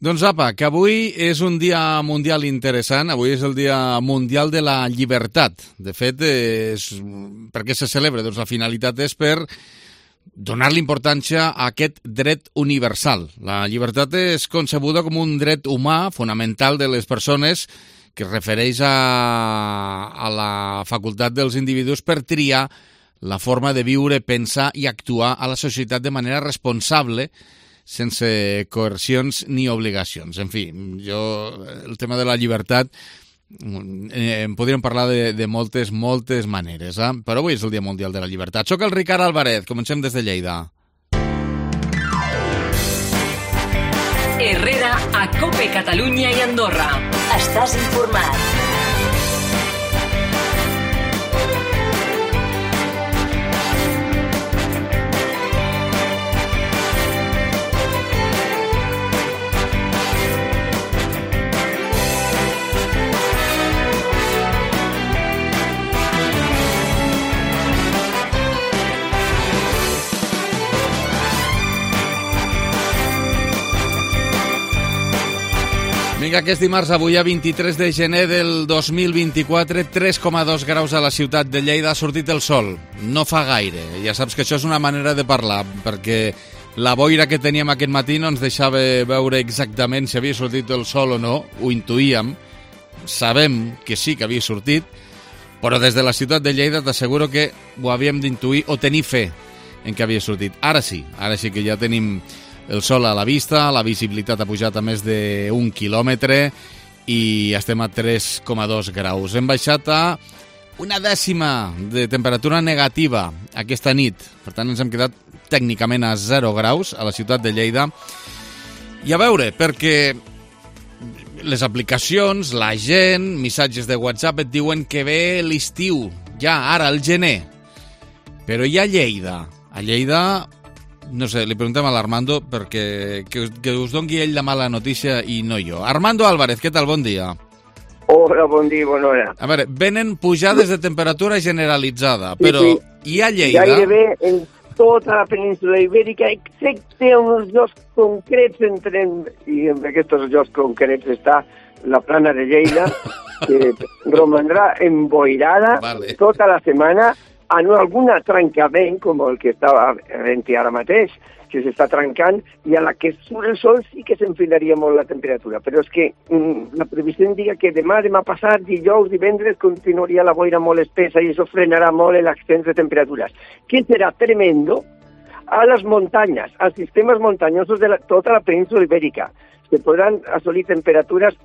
Doncs apa, que avui és un dia mundial interessant, avui és el dia mundial de la llibertat. De fet, per què se celebra? Doncs la finalitat és per donar-li importància a aquest dret universal. La llibertat és concebuda com un dret humà fonamental de les persones que es refereix a la facultat dels individus per triar la forma de viure, pensar i actuar a la societat de manera responsable, sense coercions ni obligacions. En fi, el tema de la llibertat en podríem parlar de moltes maneres, però avui és el Dia Mundial de la Llibertat. Soc el Ricard Alvarez, comencem des de Lleida. Herrera a COPE Catalunya i Andorra. Estàs informat. Vinga, aquest dimarts, avui a 23 de gener del 2024, 3,2 graus a la ciutat de Lleida, ha sortit el sol. No fa gaire. Ja saps que això és una manera de parlar, perquè la boira que teníem aquest matí no ens deixava veure exactament si havia sortit el sol o no, ho intuïem, sabem que sí que havia sortit, però des de la ciutat de Lleida t'asseguro que ho havíem d'intuir o tenir fe en que havia sortit. Ara sí que ja tenim el sol a la vista, la visibilitat ha pujat a més d'1 quilòmetre i estem a 3,2 graus. Hem baixat a una dècima de temperatura negativa aquesta nit. Per tant, ens hem quedat tècnicament a 0 graus a la ciutat de Lleida. I a veure, perquè les aplicacions, la gent, missatges de WhatsApp et diuen que ve l'estiu, ja, ara, el gener. Però hi ha Lleida. A Lleida, no sé, li preguntem a l'Armando perquè que us doni ell la mala notícia i no jo. Armando Álvarez, què tal? Bon dia. Hola, bon dia, bona hora. A veure, venen pujades de temperatura generalitzada, però hi ha Lleida... Gairebé en tota la península ibèrica, excepte uns llocs concrets, i en aquests llocs concrets està la plana de Lleida, que romandrà emboirada tota la setmana, en algun trencament, com el que estava havent-hi ara mateix, que s'està trencant, i a la que surt el sol sí que s'enfilaria molt la temperatura. Però és que la previsió indica que demà passat, dijous, divendres, continuaria la boira molt espessa i això frenarà molt l'ascens de temperatures. Que serà tremendo a les muntanyes, als sistemes muntanyosos de tota la península ibèrica. Se podran assolir temperatures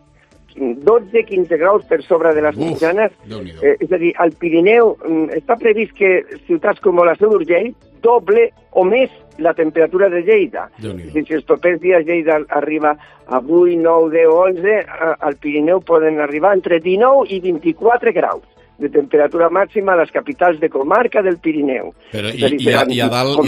12-15 graus per sobre de les mitjanes. És a dir, al Pirineu està previst que ciutats com la Seu d'Urgell doble o més la temperatura de Lleida. Si els propers dies Lleida arriba a 8, 9, 10, 11, al Pirineu poden arribar entre 19 i 24 graus de temperatura màxima a les capitals de comarca del Pirineu. Però i a dalt,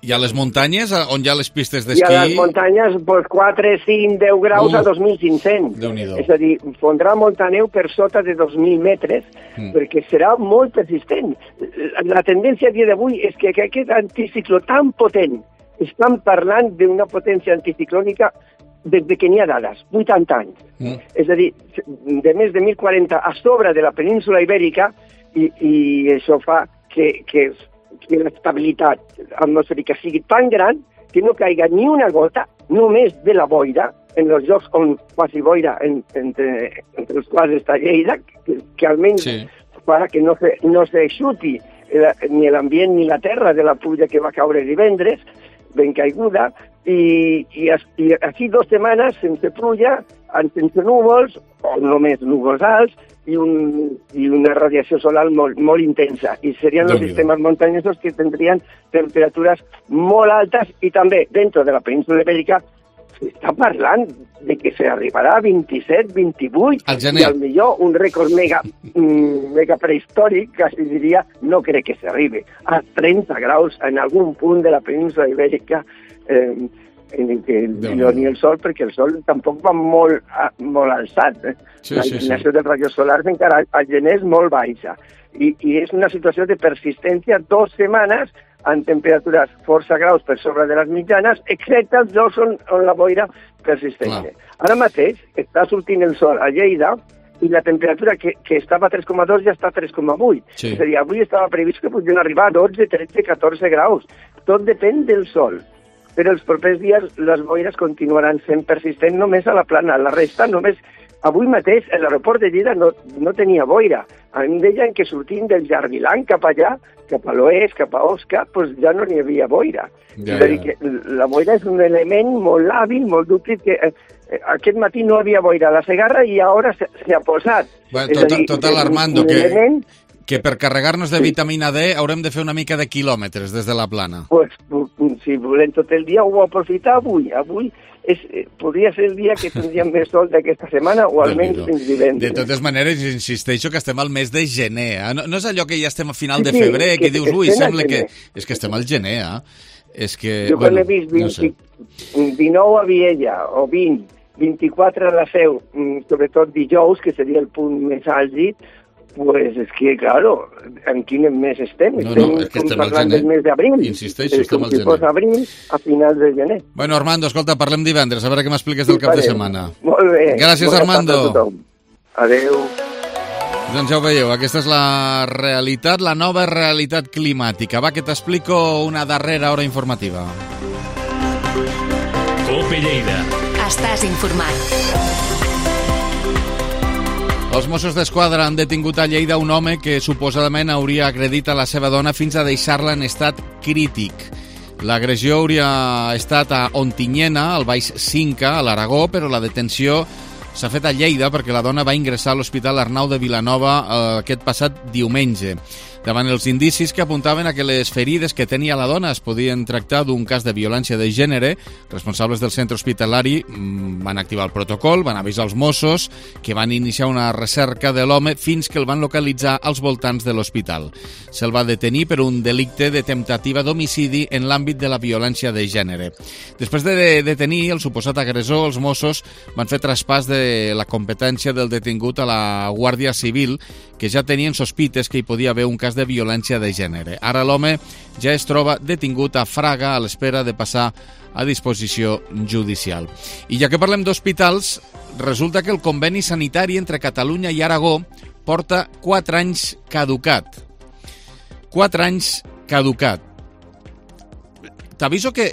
i a les muntanyes, on hi ha les pistes d'esquí? I a les muntanyes, 4, 5, 10 graus a 2.500. És a dir, fondrà molta neu per sota de 2.000 metres, perquè serà molt persistent. La tendència a dia d'avui és que aquest anticicló tan potent, estan parlant d'una potència anticiclònica des que n'hi ha dades, 80 anys. És a dir, de més de 1.040 a sobre de la península ibèrica, i això fa que l'estabilitat atmosfèrica sigui tan gran que no caiga ni una gota, només de la boira, en els llocs on quasi boira, entre els quals està Lleida, que almenys farà que no s'eixuti ni l'ambient ni la terra de la pluja que va caure divendres, ben caiguda, i així 2 setmanes sense pluja, sense núvols, o només núvols alts, i una radiació solar molt intensa. I serien els sistemes muntanyosos que tindrien temperatures molt altes, i també, dentro de la península ibèrica, s'està parlant de que s'arribarà a 27, 28, i al millor un rècord mega prehistòric, quasi diria, no crec que s'arribi a 30 graus en algun punt de la península ibèrica, en què no ni el sol, perquè el sol tampoc va molt alçat. La inclinació dels rajos solars encara al gener és molt baixa. I és una situació de persistència 2 setmanes amb temperatures força graus per sobre de les mitjanes, excepte els llocs on la boira persisteix. Ara mateix està sortint el sol a Lleida i la temperatura que estava a 3,2 ja està a 3,8. Sí. És a dir, avui estava previst que podien arribar a 12, 13, 14 graus. Tot depèn del sol. Però els propers dies les boires continuaran sent persistents només a la plana. La resta només... Avui mateix l'aeroport de Lleida no tenia boira. A mi em deien que sortint del Jardiland cap allà, cap a l'oest, cap a Osca, doncs ja no n'hi havia boira. És a dir, que la boira és un element molt hàbil, molt dúctil, que aquest matí no havia boira a la Segarra i ara s'ha posat. Bueno, total, Armando, que per carregar-nos de vitamina D haurem de fer una mica de quilòmetres des de la plana. Pues, si volem tot el dia ho aprofitar avui. Avui podria ser el dia que tindríem més sol d'aquesta setmana o almenys fins divendres. De totes maneres, insisteixo que estem al mes de gener. No és allò que ja estem a final de febrer, que dius, ui, sembla que... És que estem al gener, És que... Jo quan he vist 19 a Viella o 20, 24 a la Seu, sobretot dijous, que seria el punt més àlgid, pues és que, claro, en quin mes estem? Estem parlant del mes d'abril. Insisteixo, estem al gener. Com si fos abril a finals de gener. Bueno, Armando, escolta, parlem divendres, a veure què m'expliques del cap de setmana. Molt bé. Gràcies, Armando. Adéu. Doncs ja ho veieu, aquesta és la realitat, la nova realitat climàtica. Va, que t'explico una darrera hora informativa. COPE Lleida. Estàs informat. Els Mossos d'Esquadra han detingut a Lleida un home que suposadament hauria agredit a la seva dona fins a deixar-la en estat crític. L'agressió hauria estat a Ontinyena, al Baix Cinca, a l'Aragó, però la detenció s'ha fet a Lleida perquè la dona va ingressar a l'Hospital Arnau de Vilanova aquest passat diumenge. Davant els indicis que apuntaven a que les ferides que tenia la dona es podien tractar d'un cas de violència de gènere, responsables del centre hospitalari van activar el protocol, van avisar els Mossos que van iniciar una recerca de l'home fins que el van localitzar als voltants de l'hospital. Se'l va detenir per un delicte de temptativa d'homicidi en l'àmbit de la violència de gènere. Després de detenir el suposat agressor, els Mossos van fer traspàs de la competència del detingut a la Guàrdia Civil, que ja tenien sospites que hi podia haver un cas de violència de gènere. Ara l'home ja es troba detingut a Fraga a l'espera de passar a disposició judicial. I ja que parlem d'hospitals, resulta que el conveni sanitari entre Catalunya i Aragó porta 4 anys caducat. 4 anys caducat. T'aviso que,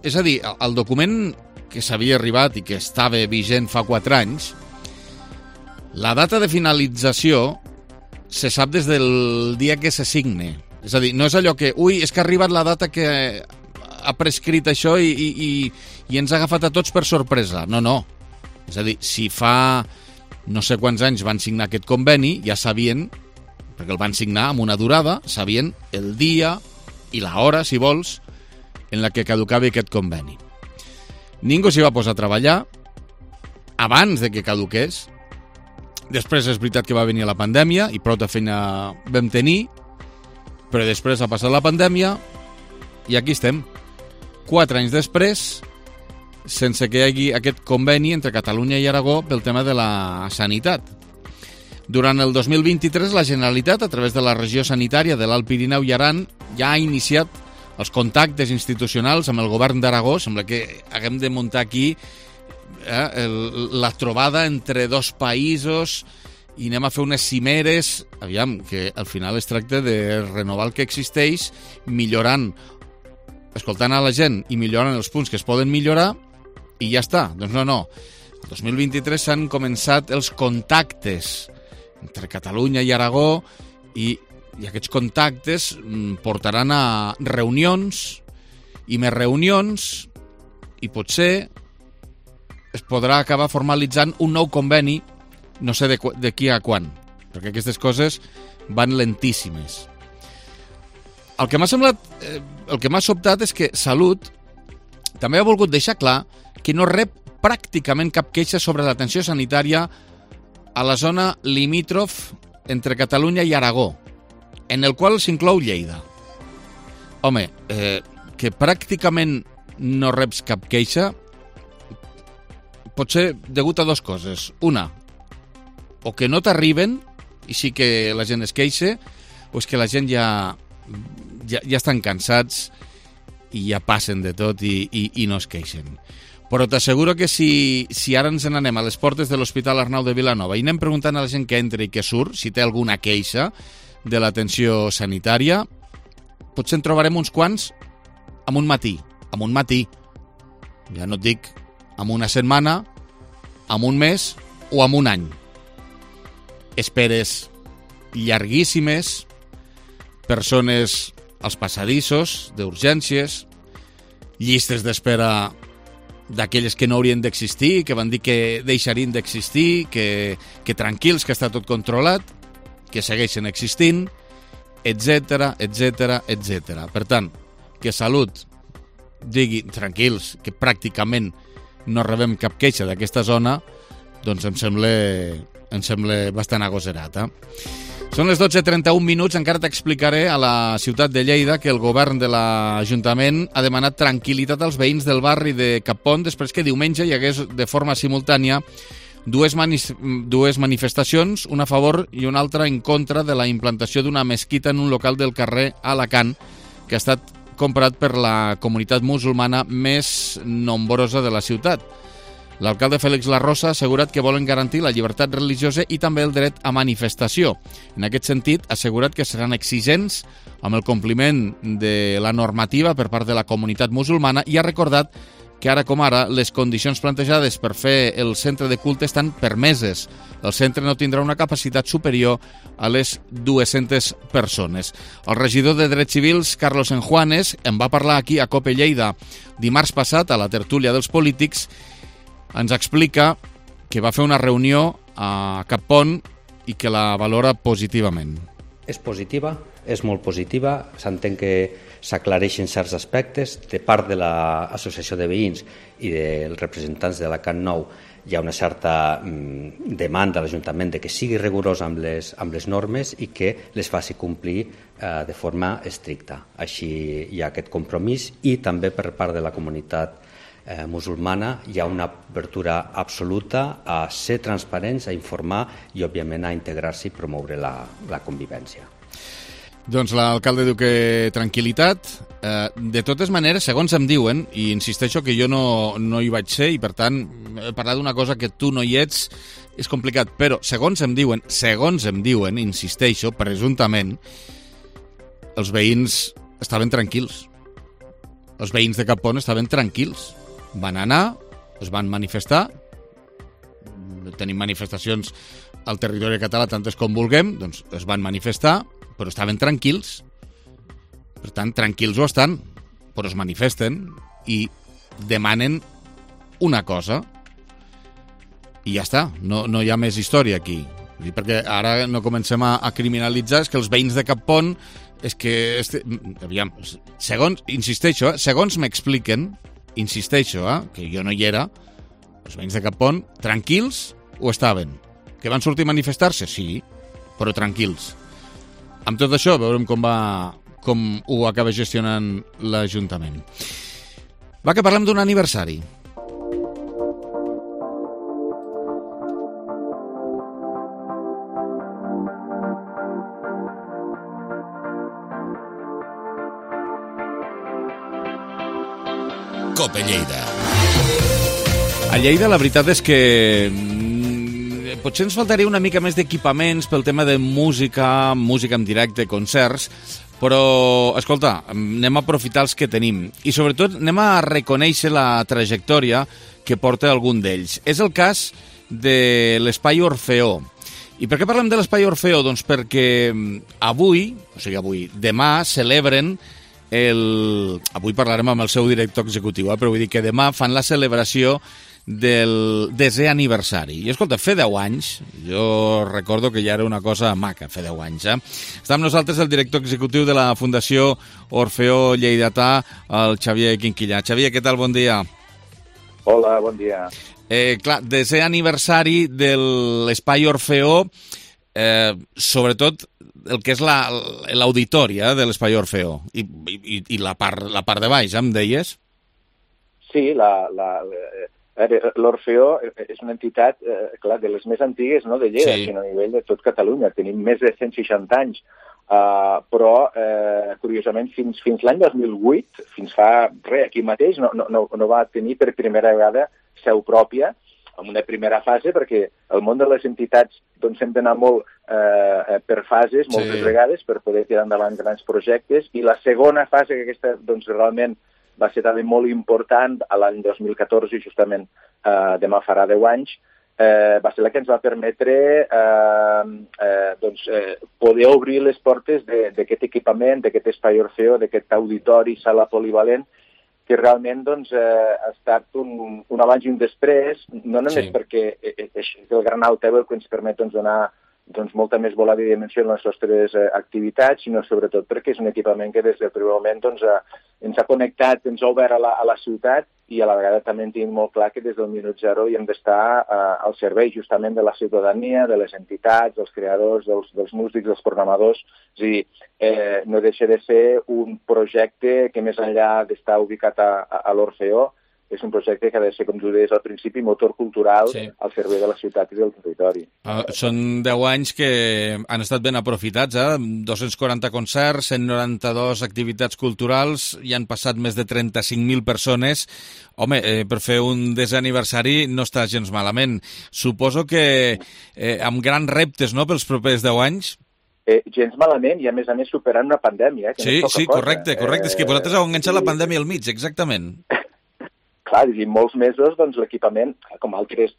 és a dir, el document que s'havia arribat i que estava vigent fa 4 anys, la data de finalització se sap des del dia que se signe. És a dir, no és allò que, ui, és que ha arribat la data que ha prescrit això i ens ha agafat a tots per sorpresa. No, no. És a dir, si fa no sé quants anys van signar aquest conveni, ja sabien, perquè el van signar amb una durada, sabien el dia i l'hora, si vols, en la que caducava aquest conveni. Ningú s'hi va posar a treballar abans de que caduqués. Després és veritat que va venir la pandèmia i prou de feina vam tenir, però després ha passat la pandèmia i aquí estem, 4 anys després, sense que hi hagi aquest conveni entre Catalunya i Aragó pel tema de la sanitat. Durant el 2023, la Generalitat, a través de la regió sanitària de l'Alt Pirineu i Aran, ja ha iniciat els contactes institucionals amb el govern d'Aragó. Sembla que haguem de muntar aquí la trobada entre dos països i anem a fer unes cimeres, aviam, que al final es tracta de renovar el que existeix, millorant, escoltant a la gent i millorant els punts que es poden millorar i ja està. Doncs no. El 2023 s'han començat els contactes entre Catalunya i Aragó i aquests contactes portaran a reunions i més reunions i potser es podrà acabar formalitzant un nou conveni, no sé de qui a quan, perquè aquestes coses van lentíssimes. El que m'ha sobtat és que Salut també ha volgut deixar clar que no rep pràcticament cap queixa sobre l'atenció sanitària a la zona limítrof entre Catalunya i Aragó, en el qual s'inclou Lleida. Home, que pràcticament no reps cap queixa pot ser degut a 2 coses. Una, o que no t'arriben i sí que la gent es queixa, o és que la gent ja ja estan cansats i ja passen de tot i no es queixen. Però t'asseguro que si ara ens n'anem a les portes de l'Hospital Arnau de Vilanova i anem preguntant a la gent que entra i que surt si té alguna queixa de l'atenció sanitària, potser en trobarem uns quants en un matí. Ja no et dic en una setmana, en un mes o en un any. Esperes llarguíssimes, persones als passadissos d'urgències, llistes d'espera d'aquelles que no haurien d'existir, que van dir que deixarien d'existir, que tranquils, que està tot controlat, que segueixen existint, etc. Per tant, que Salut digui tranquils, que pràcticament no rebem cap queixa d'aquesta zona, doncs em sembla bastant agoserat. Són les 12:31, encara t'explicaré a la ciutat de Lleida que el govern de l'Ajuntament ha demanat tranquil·litat als veïns del barri de Cappont després que diumenge hi hagués de forma simultània dues manifestacions, una a favor i una altra en contra de la implantació d'una mesquita en un local del carrer Alacant, que ha estat comprat per la comunitat musulmana més nombrosa de la ciutat. L'alcalde Félix Larrosa ha assegurat que volen garantir la llibertat religiosa i també el dret a manifestació. En aquest sentit, ha assegurat que seran exigents amb el compliment de la normativa per part de la comunitat musulmana i ha recordat que ara com ara les condicions plantejades per fer el centre de culte estan permeses. El centre no tindrà una capacitat superior a les 200 persones. El regidor de Drets Civils, Carlos Enjuanes, en va parlar aquí a COPE Lleida dimarts passat a la tertúlia dels polítics. Ens explica que va fer una reunió a Cappont i que la valora positivament. És positiva, és molt positiva. S'entén que s'aclareixen certs aspectes. De part de l'Associació de Veïns i dels representants de l'Alacant Nou hi ha una certa demanda a l'Ajuntament de que sigui rigorós amb les normes i que les faci complir de forma estricta. Així hi ha aquest compromís i també per part de la comunitat musulmana hi ha una obertura absoluta a ser transparents, a informar i, òbviament, a integrar-se i promoure la convivència. Doncs l'alcalde diu que tranquil·litat. De totes maneres, segons em diuen, i insisteixo que jo no hi vaig ser i, per tant, parlar d'una cosa que tu no hi ets és complicat, però segons em diuen, insisteixo, presumptament, els veïns estaven tranquils. Els veïns de Cappont estaven tranquils. Van anar, es van manifestar, tenim manifestacions al territori català tantes com vulguem, doncs es van manifestar, però estaven tranquils. Per tant, tranquils ho estan, però es manifesten i demanen una cosa i ja està, no hi ha més història aquí. Perquè ara no comencem a criminalitzar, és que els veïns de Cappont, és que, aviam, insisteixo, segons m'expliquen, que jo no hi era, els veïns de Cappont, tranquils ho estaven. Que van sortir a manifestar-se? Sí, però tranquils. Amb tot això, veurem com ho acaba gestionant l'Ajuntament. Va, que parlem d'un aniversari. COPE Lleida. A Lleida la veritat és que potser ens faltaria una mica més d'equipaments pel tema de música en directe, concerts, però, escolta, anem a aprofitar els que tenim i sobretot anem a reconèixer la trajectòria que porta algun d'ells. És el cas de l'Espai Orfeó. I per què parlem de l'Espai Orfeó? Doncs perquè demà celebren avui parlarem amb el seu director executiu, però vull dir que demà fan la celebració del 10è aniversari. I escolta, fer 10 anys, jo recordo que ja era una cosa maca, fer 10 anys. Està amb nosaltres el director executiu de la Fundació Orfeó Lleidatà, el Xavier Quinquillà. Xavier, què tal? Bon dia. Hola, bon dia. Clar, 10è aniversari de l'Espai Orfeó, sobretot el que és l'auditori de l'Espai Orfeó i la part de baix, em deies? Sí, l'Orfeó és una entitat, clar, de les més antigues, no, de Lleida, sí, sinó a nivell de tot Catalunya. Tenim més de 160 anys però, curiosament, fins l'any 2008, fins fa aquí mateix, no va tenir per primera vegada seu pròpia, en una primera fase, perquè el món de les entitats doncs, hem d'anar molt per fases, moltes vegades, per poder tirar endavant grans projectes, i la segona fase, que aquesta doncs, realment va ser també molt important a l'any 2014, justament demà farà 10 anys, va ser la que ens va permetre poder obrir les portes d'aquest equipament, d'aquest espai Orfeó, d'aquest auditori, sala polivalent, que realment ha estat un abans i un després, no només perquè és el gran altaveu que ens permet donar molta més volada i dimensió en les nostres activitats, sinó sobretot perquè és un equipament que des del primer moment ens ha connectat, ens ha obert a la ciutat, i a la vegada també en tinc molt clar que des del minut zero hi hem d'estar al servei justament de la ciutadania, de les entitats, dels creadors, dels músics, dels programadors. És a dir, no deixa de ser un projecte que més enllà d'estar ubicat a l'Orfeó, és un projecte que ha de ser, com tu deies al principi, motor cultural al servei de la ciutat i del territori. Són 10 anys que han estat ben aprofitats, 240 concerts, 192 activitats culturals, i han passat més de 35.000 persones. Home, per fer un desè aniversari no està gens malament. Suposo que amb grans reptes, no?, pels propers 10 anys? Gens malament, i a més superant una pandèmia. Sí, correcte. És que vosaltres heu enganxat la pandèmia al mig, exactament. Clar, i molts mesos l'equipament, com altres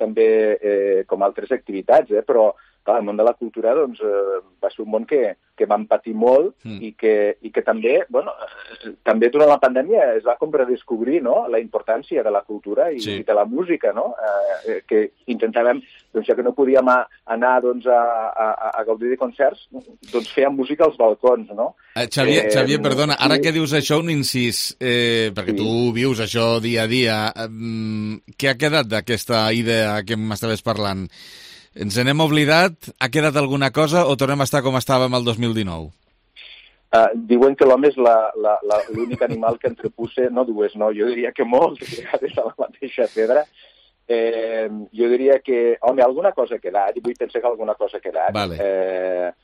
activitats, però clar, el món de la cultura va ser un món que vam patir molt i que també, també durant la pandèmia es va com redescobrir la importància de la cultura i de la música, que intentàvem, ja que no podíem anar a gaudir de concerts, fèiem música als balcons, no? Xavier, perdona, ara que dius això, un incís, perquè tu vius això dia a dia, què ha quedat d'aquesta idea que m'estaves parlant? Ens n'hem oblidat? Ha quedat alguna cosa o tornem a estar com estàvem el 2019? Diuen que l'home és l'únic animal que entrepussa, no dues, no, jo diria que moltes vegades a la mateixa pedra. Jo diria que, home, alguna cosa ha quedat, i vull pensar que alguna cosa ha quedat. Vale.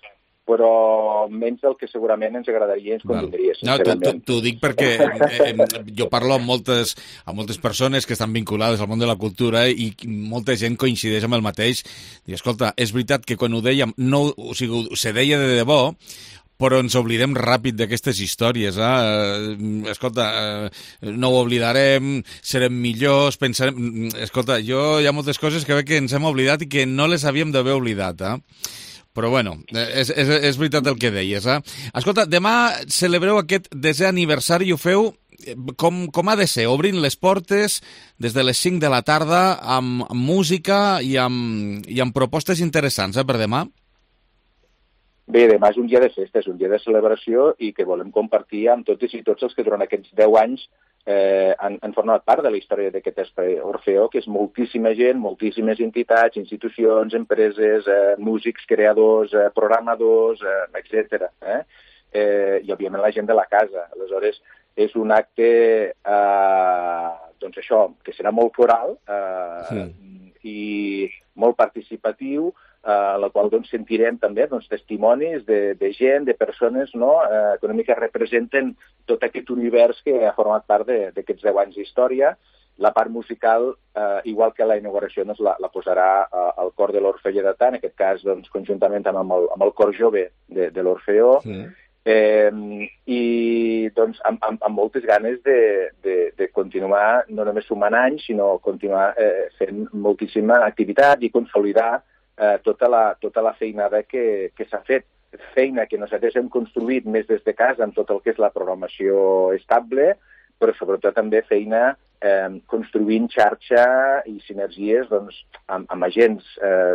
Però menys del que segurament ens agradaria i ens convindria, sincerament. No, t'ho dic perquè jo parlo amb moltes persones que estan vinculades al món de la cultura i molta gent coincideix amb el mateix. Dic, escolta, és veritat que quan ho dèiem, se deia de debò, però ens oblidem ràpid d'aquestes històries. Escolta, no ho oblidarem, serem millors, pensarem... Escolta, hi ha moltes coses que veig que ens hem oblidat i que no les havíem d'haver oblidat, Però, bueno, és veritat el que deies, Escolta, demà celebreu aquest desè aniversari i ho feu com ha de ser, obrint les portes des de les 5 de la tarda amb música i amb propostes interessants, per demà? Bé, demà és un dia de festa, és un dia de celebració i que volem compartir amb totes i tots els que durant aquests 10 anys han format part de la història d'aquest espai Orfeó, que és moltíssima gent, moltíssimes entitats, institucions, empreses, músics, creadors, programadors, etc. I, òbviament, la gent de la casa. Aleshores, és un acte, que serà molt coral i molt participatiu, a la qual sentirem també testimonis de gent, de persones que una mica representen tot aquest univers que ha format part d'aquests 10 anys d'història. La part musical, igual que la inauguració, la posarà el cor de l'Orfeó Lleidatà, en aquest cas conjuntament amb el cor jove de l'Orfeó, i amb moltes ganes de continuar no només sumant anys, sinó continuar fent moltíssima activitat i consolidar tota la feinada que s'ha fet. Feina que nosaltres hem construït més des de casa amb tot el que és la programació estable, però sobretot també feina construint xarxa i sinergies amb agents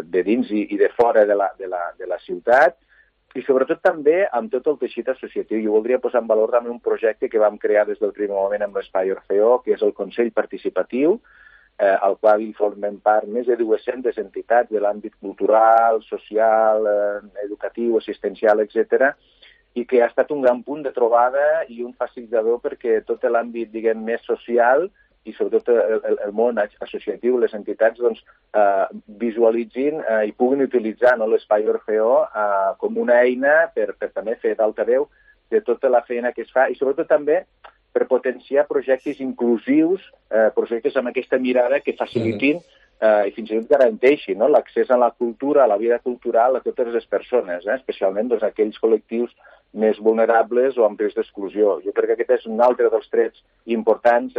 de dins i de fora de la ciutat, i sobretot també amb tot el teixit associatiu. Jo voldria posar en valor també un projecte que vam crear des del primer moment amb l'Espai Orfeó, que és el Consell Participatiu, al qual formen part més de 200 entitats de l'àmbit cultural, social, educatiu, assistencial, etc., i que ha estat un gran punt de trobada i un facilitador perquè tot l'àmbit, diguem, més social i sobretot el món associatiu, les entitats, doncs, visualitzin i puguin utilitzar, no, l'Espai Orfeó com una eina per també fer d'altaveu de tota la feina que es fa i sobretot també per potenciar projectes inclusius, projectes amb aquesta mirada que facilitin i fins i tot garanteixin, no, l'accés a la cultura, a la vida cultural a totes les persones, especialment doncs, aquells col·lectius més vulnerables o amb risc d'exclusió. Jo crec que aquest és un altre dels trets importants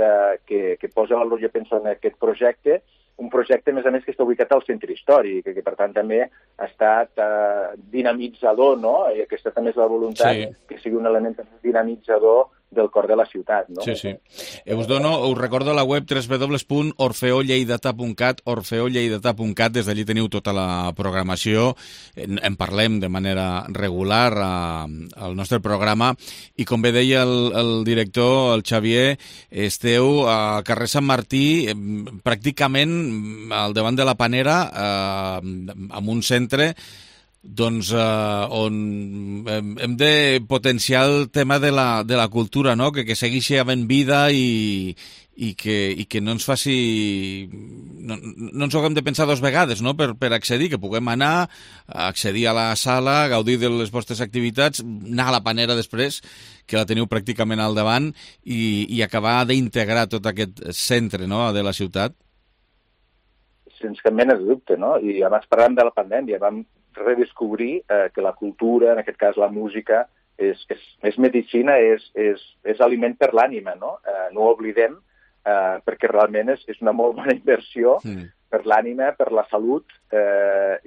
que posa valor, jo penso, en aquest projecte, un projecte, a més, que està ubicat al centre històric, que per tant també ha estat dinamitzador, no? I aquesta també és la voluntat, que sigui un element dinamitzador del cor de la ciutat, no? Sí. Us recordo la web www.orfeolleidata.cat, orfeolleidata.cat, des d'allí teniu tota la programació, en parlem de manera regular al nostre programa, i com bé deia el director, el Xavier, esteu a carrer Sant Martí, pràcticament al davant de la Panera, amb un centre doncs on hem de potenciar el tema de la cultura, no? Que segueixi havent vida i que no ens faci... No ens ho haguem de pensar dos vegades, no? Per accedir, que puguem anar, accedir a la sala, gaudir de les vostres activitats, anar a la Panera després, que la teniu pràcticament al davant, i acabar d'integrar tot aquest centre, no?, de la ciutat. Sense cap mena de dubte, no? I abans parlàvem de la pandèmia, vam redescobrir que la cultura, en aquest cas la música, és medicina, és aliment per l'ànima, no? No ho oblidem, perquè realment és una molt bona inversió per l'ànima, per la salut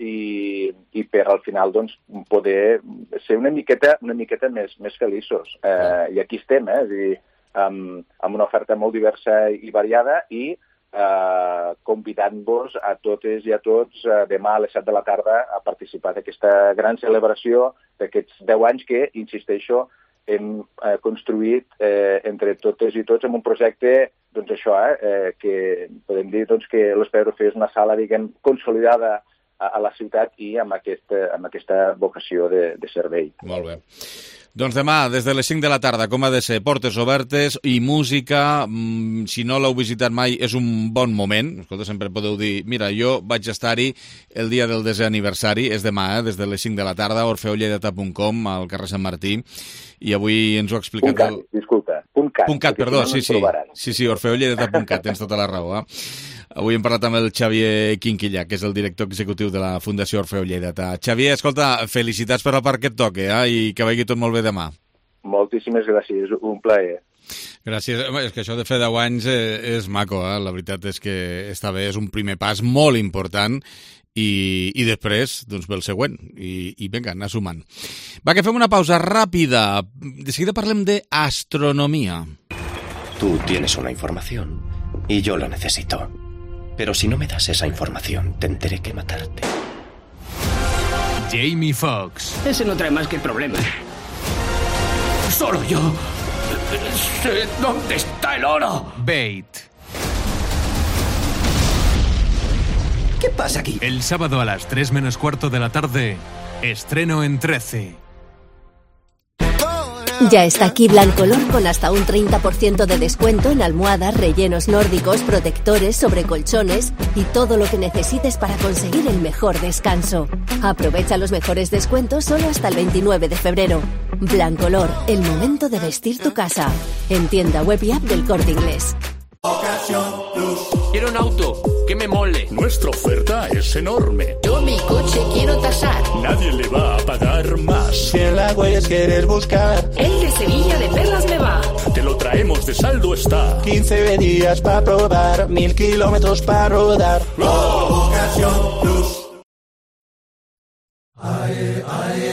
i per al final doncs, poder ser una miqueta més feliços. I aquí estem, és a dir, amb una oferta molt diversa i variada i convidant-vos a totes i a tots demà a les 7 de la tarda a participar d'aquesta gran celebració d'aquests 10 anys que, insisteixo, hem construït entre totes i tots en un projecte, doncs això, que podem dir doncs, que l'Espai Orfeó és una sala, diguem, consolidada a la ciutat i amb aquesta vocació de servei. Molt bé. Doncs demà, des de les 5 de la tarda, com ha de ser, portes obertes i música. Si no l'heu visitat mai, és un bon moment. Escolta, sempre podeu dir, mira, jo vaig estar-hi el dia del 10è aniversari, és demà, des de les 5 de la tarda, orfeolleidata.com, al carrer Sant Martí, i avui ens ho ha explicat... .cat, perdó, sí, orfeolleidata.cat, tens tota la raó, Avui hem parlat amb el Xavier Quinquillà, que és el director executiu de la Fundació Orfeó Lleidata. Xavier, escolta, felicitats per la part que et toca, i que vagi tot molt bé demà. Moltíssimes gràcies, un plaer. Gràcies. És que això de fer 10 anys és maco, La veritat és que està bé, és un primer pas molt important i després, doncs, ve el següent. I vinga, anar sumant. Va, que fem una pausa ràpida. De seguida parlem d'astronomia. Tú tienes una información y yo la necesito. Pero si no me das esa información, tendré que matarte. Jamie Foxx. Ese no trae más que problemas. Solo yo sé dónde está el oro. Bait. ¿Qué pasa aquí? El sábado a las 3 menos cuarto de la tarde, estreno en 13. Ya está aquí Blancolor con hasta un 30% de descuento en almohadas, rellenos nórdicos, protectores, sobrecolchones y todo lo que necesites para conseguir el mejor descanso. Aprovecha los mejores descuentos solo hasta el 29 de febrero. Blancolor, el momento de vestir tu casa. En tienda web y app del Corte Inglés. Quiero un auto que me mole. Nuestra oferta es enorme. Yo mi coche quiero tasar. Nadie le va a pagar más. Si en la Güelles quieres buscar, el de Sevilla de Perlas me va. Te lo traemos de saldo está. 15 días para probar, 1000 kilómetros para rodar. Ocasión Plus.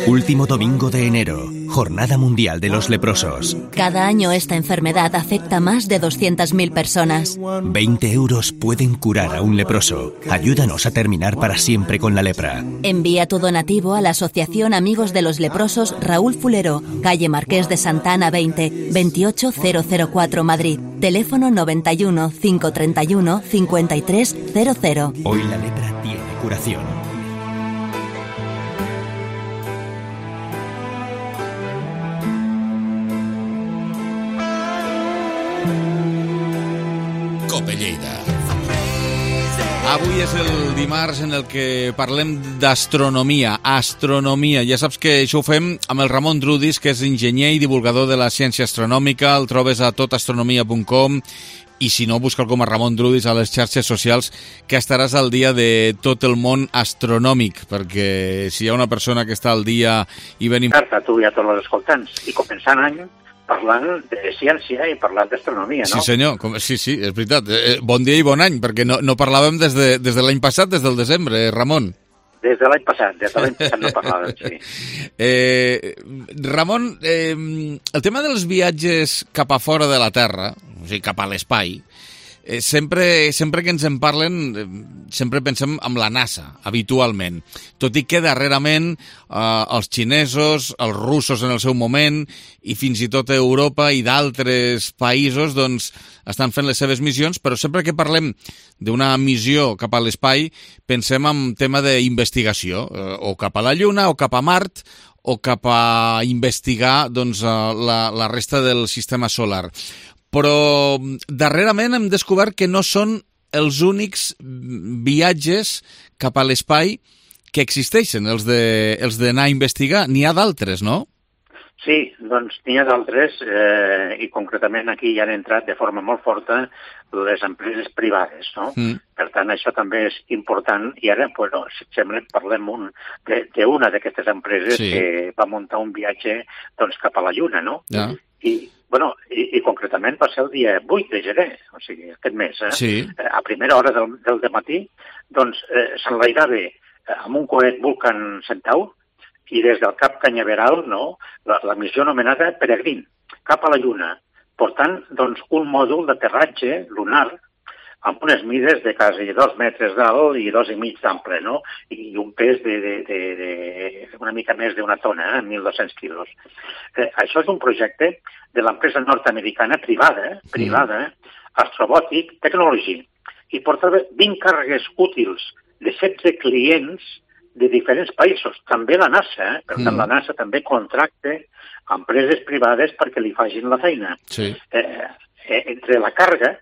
Último domingo de enero, Jornada Mundial de los Leprosos. Cada año esta enfermedad afecta a más de 200.000 personas. 20 euros pueden curar a un leproso. Ayúdanos a terminar para siempre con la lepra. Envía tu donativo a la Asociación Amigos de los Leprosos Raúl Fulero, calle Marqués de Santa Ana 20, 28004 Madrid. Teléfono 91 531 5300. Hoy la lepra tiene curación. Avui és el dimarts en el que parlem d'astronomia, astronomia. Ja saps que això ho fem amb el Ramon Drudis, que és enginyer i divulgador de la ciència astronòmica. El trobes a totastronomia.com i si no, busca'l com a Ramon Drudis a les xarxes socials, que estaràs al dia de tot el món astronòmic, perquè si hi ha una persona que està al dia i venim... A tu i a tots els escoltants, i començant any parlant de ciència i parlant d'astronomia, no? Sí, senyor, sí, és veritat. Bon dia i bon any, perquè no parlàvem des de l'any passat, des del desembre, Ramon. Des de l'any passat no parlàvem, sí. Ramon, el tema dels viatges cap a fora de la Terra, o sigui, cap a l'espai, sempre que ens en parlen, sempre pensem en la NASA, habitualment. Tot i que darrerament els xinesos, els russos en el seu moment, i fins i tot Europa i d'altres països, doncs, estan fent les seves missions, però sempre que parlem d'una missió cap a l'espai, pensem en tema d'investigació, o cap a la Lluna, o cap a Mart, o cap a investigar doncs, la resta del sistema solar. Però darrerament hem descobert que no són els únics viatges cap a l'espai que existeixen, els d'anar a investigar. N'hi ha d'altres, no? Sí, doncs n'hi ha d'altres, i concretament aquí ja han entrat de forma molt forta les empreses privades, no? Per tant, això també és important, i ara, bueno, si et sembla, parlem d'una d'aquestes empreses que va muntar un viatge doncs, cap a la Lluna, no? Ja. I concretament va ser el dia 8 de gener, o sigui, aquest mes, a primera hora del dematí, doncs s'enlairava amb un coet Vulcan Centaur i des del Cap Canyaveral, no, la missió anomenada Peregrin, cap a la Lluna, portant doncs, un mòdul d'aterratge lunar amb unes mides de quasi 2 metres d'alt i 2,5 d'ample, no? I un pes de una mica més d'una tona, 1.200 quilos. Això és un projecte de l'empresa nord-americana privada, Astrobotic Technology, i portava 20 càrregues útils de 16 clients de diferents països. També la NASA, per tant, la NASA també contracta empreses privades perquè li facin la feina. Sí. Entre la càrrega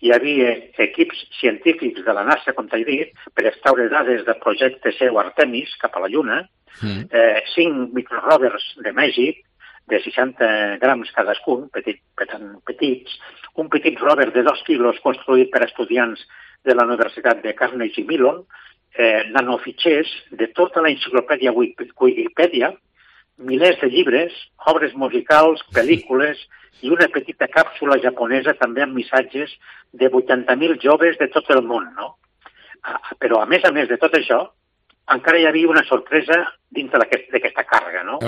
hi havia equips científics de la NASA, com t'he dit, per extraure dades del projecte seu Artemis cap a la Lluna, 5 microrovers de Mèxic, de 60 grams cadascun, petits, un petit rover de 2 quilos construït per estudiants de la Universitat de Carnegie Mellon, nanofitxers de tota la enciclopèdia Wikipedia, milers de llibres, obres musicals, pel·lícules i una petita càpsula japonesa també amb missatges de 80.000 joves de tot el món, no? Però a més de tot això, encara hi havia una sorpresa dins d'aquesta càrrega, no?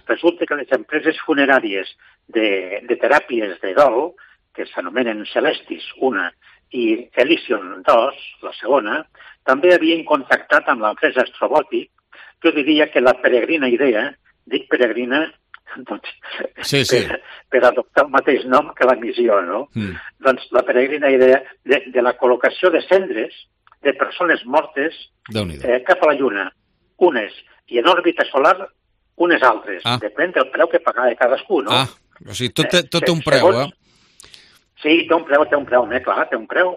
Resulta que les empreses funeràries de teràpies de dol, que s'anomenen Celestis, una, i Elysion 2, la segona, també havien contactat amb l'empresa Astrobotic. Jo diria que la peregrina idea, dic peregrina, doncs, per adoptar el mateix nom que la missió, no? Doncs la peregrina idea de la col·locació de cendres de persones mortes cap a la Lluna, unes, i en òrbita solar, unes altres. Depèn del preu que pagava cadascú, no? O sigui, tot té un preu, Sí, té un preu, clar, té un preu.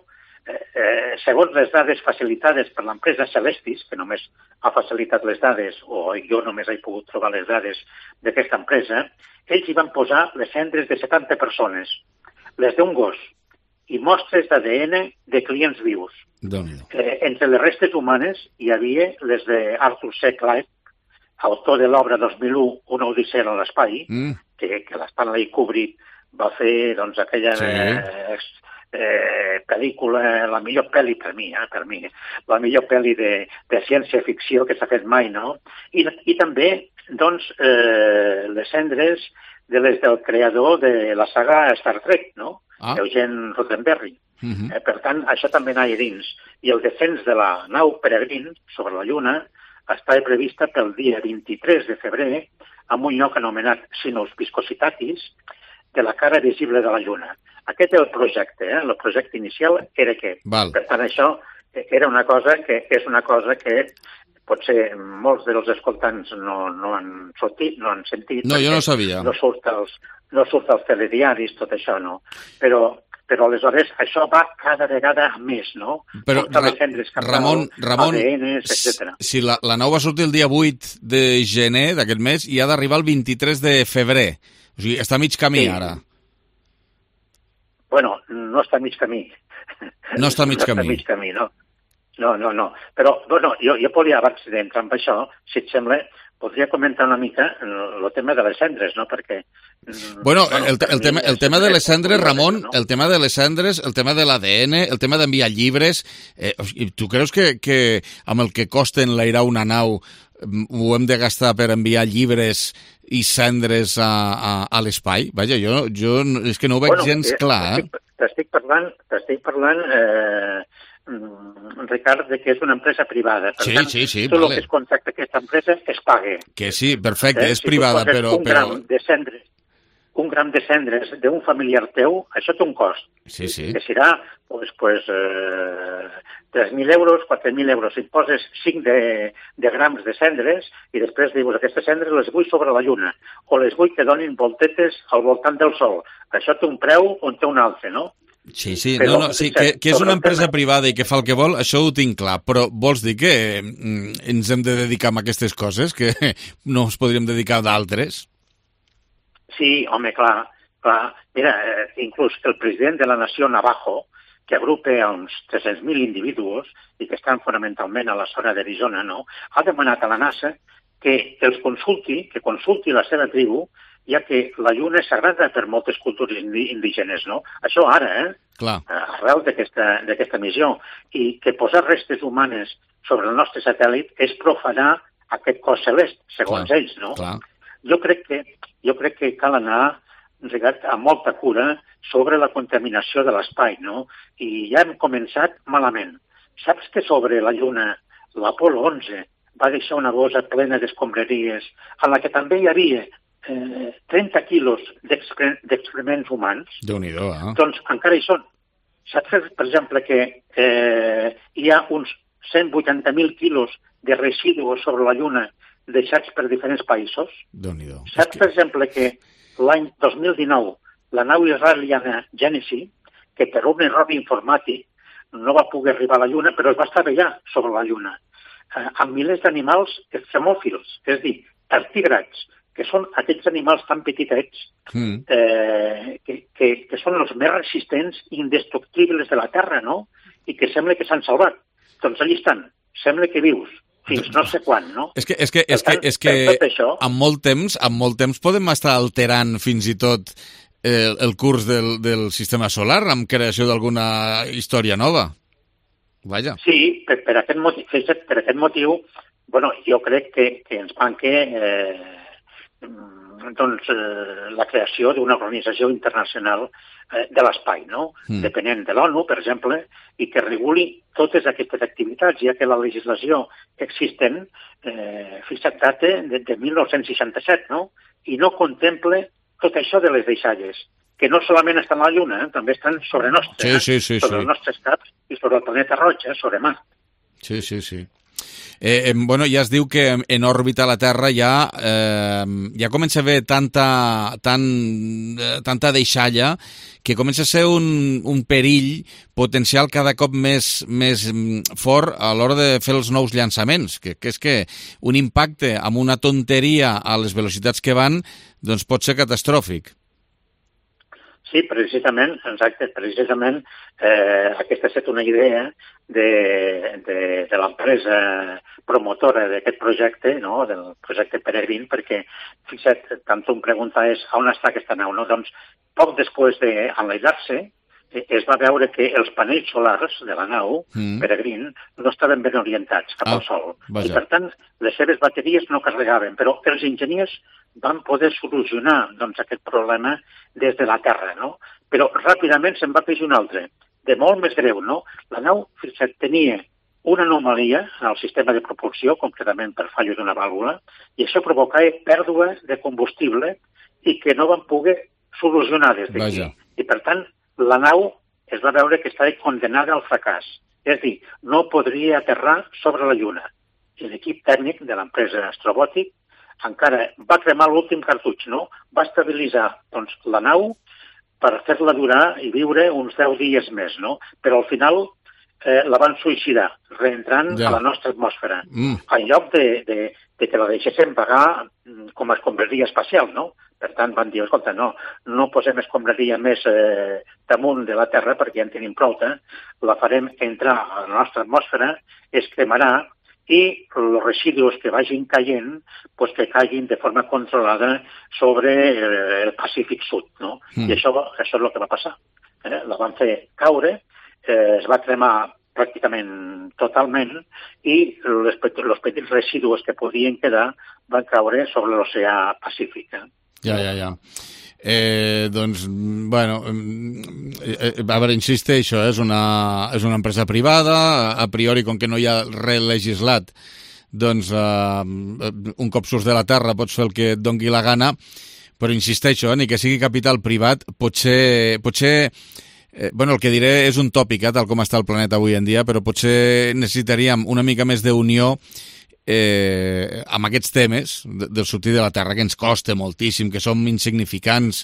Segons les dades facilitades per l'empresa Celestis, que només ha facilitat les dades, o jo només he pogut trobar les dades d'aquesta empresa, ells hi van posar les cendres de 70 persones, les d'un gos, i mostres d'ADN de clients vius. Entre les restes humanes hi havia les d'Arthur C. Clarke, autor de l'obra 2001, Una odissea en l'espai, que l'Stanley Kubrick va fer doncs, aquella pel·lícula, la millor pel·li per mi, la millor pel·li de ciència-ficció que s'ha fet mai, no? I també, doncs, les cendres de les del creador de la saga Star Trek, no? Eugene Roddenberry. Per tant, això també anava dins. I el descens de la nau Peregrine sobre la Lluna estava prevista pel dia 23 de febrer en un lloc anomenat Sinus Viscositatis, de la cara visible de la Lluna. Aquest és el projecte, el projecte inicial era aquest. Per tant, això era una cosa que potser molts dels escoltants no han sentit. No, jo no sabia. No surt als telediaris, tot això, no? Però però aleshores això va cada vegada més, no? Però, Ramon, ADNs, etc. Si la nau va sortir el dia 8 de gener d'aquest mes i ha d'arribar el 23 de febrer. O sigui, està a mig camí, ara. Bueno, no està a mig camí. No està a mig camí. No està a mig camí, no. No. Però, bueno, jo podria, abans d'entrar en això, si et sembla, podria comentar una mica el tema de les cendres, no? Perquè... Bueno, el tema de les cendres, Ramon, el tema de les cendres, el tema de l'ADN, el tema d'enviar llibres... Tu creus que amb el que costa enlairar una nau ho hem de gastar per enviar llibres i cendres a l'espai? Vaja, jo és que no ho veig gens clar, eh? T'estic parlant, Ricard, que és una empresa privada. Per tant, tot el que es contracta aquesta empresa es paga. Que sí, perfecte, és privada, però... Un gram de cendres d'un familiar teu, això té un cost. Sí. Que serà, 3.000 euros, 4.000 euros. Si poses 5 de grams de cendres i després dius, aquestes cendres les vull sobre la lluna o les vull que donin voltetes al voltant del sol. Això té un preu o té un altre, no? Sí, que és una empresa privada i que fa el que vol, això ho tinc clar, però vols dir que ens hem de dedicar a aquestes coses, que no ens podríem dedicar a d'altres? Sí, home, clar. Mira, inclús el president de la nació Navajo, que agrupa uns 300.000 individus i que estan fonamentalment a la zona d'Arizona, no? Ha demanat a la NASA que consulti la seva tribu, ja que la lluna és sagrada per moltes cultures indígenes, no? Això ara, arrel d'aquesta missió, i que posar restes humanes sobre el nostre satèl·lit és profanar aquest cos celest, segons ells, no? Jo crec que cal anar amb molta cura sobre la contaminació de l'espai, no? I ja hem començat malament. Saps que sobre la lluna l'Apolo 11 va deixar una bossa plena d'escombraries en la que també hi havia 30 quilos d'excrements humans? Déu-n'hi-do, Doncs encara hi són. Saps, per exemple, que hi ha uns 180.000 quilos de residus sobre la Lluna deixats per diferents països? Déu-n'hi-do. Saps, per exemple, que l'any 2019 la nau israeliana Genesis, que per un error informàtic no va poder arribar a la Lluna, però es va estavellar sobre la Lluna, amb milers d'animals extremòfils, és a dir, tartígrads, que són aquells animals tan petitets que són els més resistents i indestructibles de la Terra, no? I que sembla que s'han salvat. Doncs allà estan, sembla que vius, fins no sé quan, no? És que amb molt temps podem estar alterant fins i tot el curs del sistema solar amb creació d'alguna història nova. Vaja. Sí, per aquest motiu, bueno, jo crec que ens manca la creació d'una organització internacional de l'espai, no? Depenent de l'ONU, per exemple, i que reguli totes aquestes activitats, ja que la legislació existent data de 1967, no? I no contempla tot això de les deixalles, que no solament estan a la Lluna, també estan sobre nostre, sobre els nostres caps i sobre el planeta roig, sobre Mart. Sí. Bueno, ja es diu que en òrbita la Terra ja comença a haver tanta deixalla que comença a ser un perill potencial cada cop més fort a l'hora de fer els nous llançaments, que és que un impacte amb una tonteria a les velocitats que van doncs pot ser catastròfic. Sí, precisament, aquesta ha estat una idea de l'empresa promotora d'aquest projecte, no? Del projecte Peregrine, perquè, fixa't, tant tu em preguntaves on està aquesta nau, no? Doncs, poc després d'enlairar-se, es va veure que els panells solars de la nau, Peregrine, no estaven ben orientats cap al Sol. I, per tant, les seves bateries no carregaven, però els enginyers van poder solucionar aquest problema des de la Terra, no? Però ràpidament se'n va afegir un altre, de molt més greu, no? La nau, fixa't, tenia una anomalia en el sistema de propulsió, concretament per fallo d'una vàlvula, i això provocava pèrdua de combustible i que no van poder solucionar des d'aquí. I, per tant, la nau es va veure que estava condenada al fracàs. És a dir, no podria aterrar sobre la Lluna. I l'equip tècnic de l'empresa Astrobòtic encara va cremar l'últim cartutx, no? Va estabilitzar la nau per fer-la durar i viure uns 10 dies més, no? Però al final la van suïcidar, reentrant a la nostra atmosfera. En lloc de que la deixéssim pagar com a escombraria espacial, no? Per tant, van dir, escolta, no posem escombraria més damunt de la Terra perquè ja en tenim prou, la farem entrar a la nostra atmosfera, es cremarà i els residus que vagin caient, pues que caiguin de forma controlada sobre el Pacífic Sud, no? I això és el que va passar. La van fer caure, es va cremar pràcticament totalment i els petits residus que podien quedar van caure sobre l'oceà Pacífic. Ja. Doncs, bueno, a veure, insisteixo, és una empresa privada, a priori, com que no hi ha res legislat, doncs un cop surts de la terra pots fer el que et dongui la gana, però insisteixo, ni que sigui capital privat, potser bueno, el que diré és un tòpic, tal com està el planeta avui en dia, però potser necessitaríem una mica més d'unió amb aquests temes del sortir de la Terra, que ens costa moltíssim, que som insignificants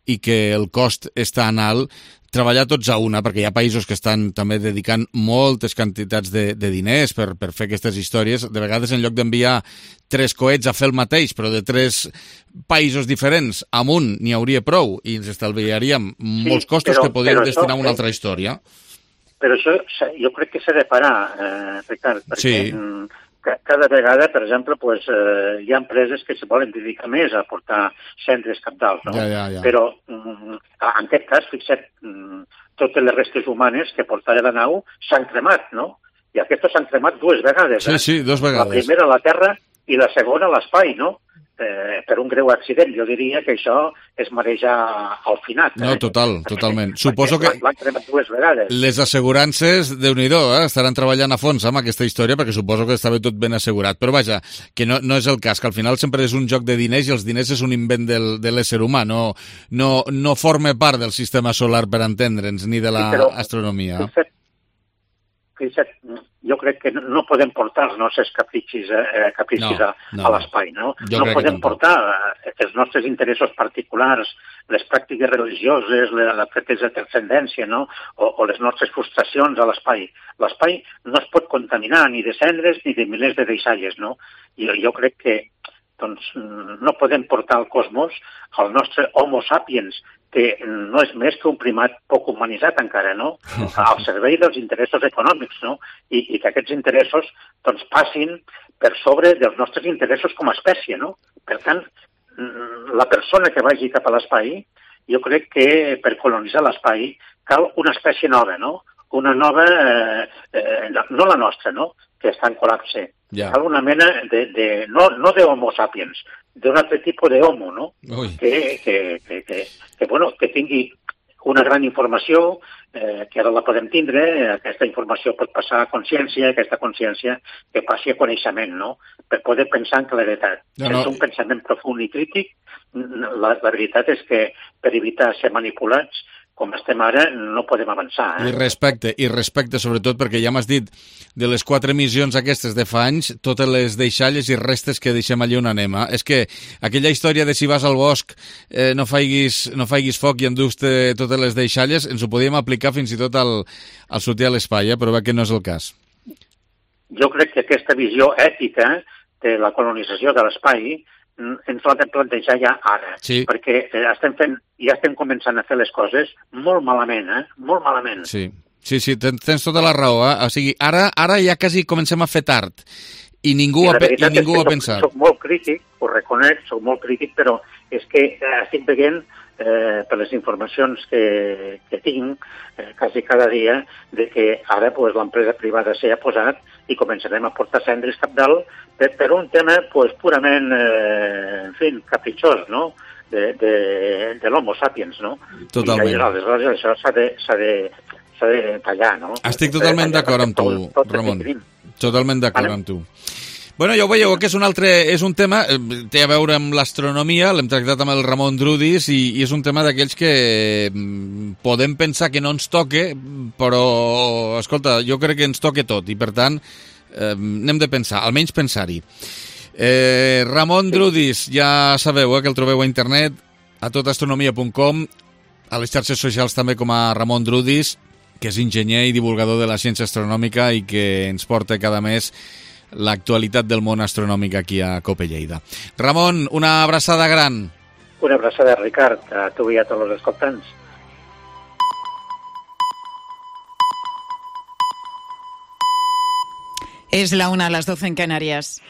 i que el cost és tan alt, treballar tots a una, perquè hi ha països que estan també dedicant moltes quantitats de diners per fer aquestes històries. De vegades, en lloc d'enviar 3 coets a fer el mateix, però de 3 països diferents, amb un n'hi hauria prou i ens estalviaríem molts costos que podríem destinar a una altra història. Però això jo crec que s'ha de parar, Ricard, perquè cada vegada, per exemple, hi ha empreses que se volen dedicar més a portar centres cabdals, no? Ja. Però, en aquest cas, fixa't, totes les restes humanes que portava la nau s'han cremat, no? I aquestes s'han cremat 2 vegades. Sí, 2 vegades. La primera a la Terra i la segona a l'espai, no? Per un greu accident. Jo diria que això és marejar al finat. No, totalment. Suposo que l'han cremat 2 vegades. Les assegurances, Déu-n'hi-do, estaran treballant a fons amb aquesta història, perquè suposo que estava tot ben assegurat. Però vaja, que no és el cas, que al final sempre és un joc de diners i els diners és un invent de l'ésser humà, no forma part del sistema solar, per entendre'ns, ni de l'astronomia. Jo crec que no podem portar els nostres capricis a l'espai, no? No podem portar els nostres interessos particulars, les pràctiques religioses, la pretesa transcendència, no? O les nostres frustracions a l'espai. L'espai no es pot contaminar ni de cendres ni de milers de deixalles, no? I jo crec que no podem portar al cosmos el nostre Homo sapiens, que no és més que un primat poc humanitzat encara, no? Al servei dels interessos econòmics, no? I que aquests interessos passin per sobre dels nostres interessos com a espècie, no? Per tant, la persona que vagi cap a l'espai, jo crec que per colonitzar l'espai cal una espècie nova, no? Una nova, no la nostra, no? Que està en col·lapse. Cal una mena no de Homo sapiens, d'un altre tipus d'homo, no? Que tingui una gran informació, que ara la podem tindre, aquesta informació pot passar a consciència, aquesta consciència que passi a coneixement, no? Per poder pensar en claredat. Sense un pensament profund i crític, la veritat és que per evitar ser manipulats, com estem ara, no podem avançar. I respecte sobretot, perquè ja m'has dit, de les 4 missions aquestes de fa anys, totes les deixalles i restes que deixem allí on anem. És que aquella història de si vas al bosc no faiguis foc i endús-te totes les deixalles, ens ho podíem aplicar fins i tot al sortir a l'espai, però veig que no és el cas. Jo crec que aquesta visió ètica de la colonització de l'espai ens l'ha de plantejar ja ara, perquè ja estem començant a fer les coses molt malament, molt malament. Sí, tens tota la raó. O sigui, ara ja quasi comencem a fer tard i ningú ho ha pensat. Soc molt crític, ho reconec, soc molt crític, però és que estic veient per les informacions que tinc quasi cada dia, de que ara l'empresa privada s'hi ha posat i començarem a portar cendres cap dalt per un tema purament, en fi, capritxós, no?, de l'Homo sapiens, no? Totalment. I aleshores això s'ha de tallar, no? Estic totalment d'acord amb tu, Ramon. Totalment d'acord amb tu. Bueno, ja ho veieu, que és un tema, té a veure amb l'astronomia, l'hem tractat amb el Ramon Drudis i és un tema d'aquells que podem pensar que no ens toque, però, escolta, jo crec que ens toque tot i, per tant, n'hem de pensar, almenys pensar-hi. Ramon Drudis, ja sabeu que el trobeu a internet, a totastronomia.com. a les xarxes socials també com a Ramon Drudis, que és enginyer i divulgador de la ciència astronòmica i que ens porta cada mes l'actualitat del món astronòmic aquí a COPE Lleida. Ramon, una abraçada gran. Una abraçada, Ricard, a tu i a tots els escoltants. Es la 1 a las 12 en Canarias.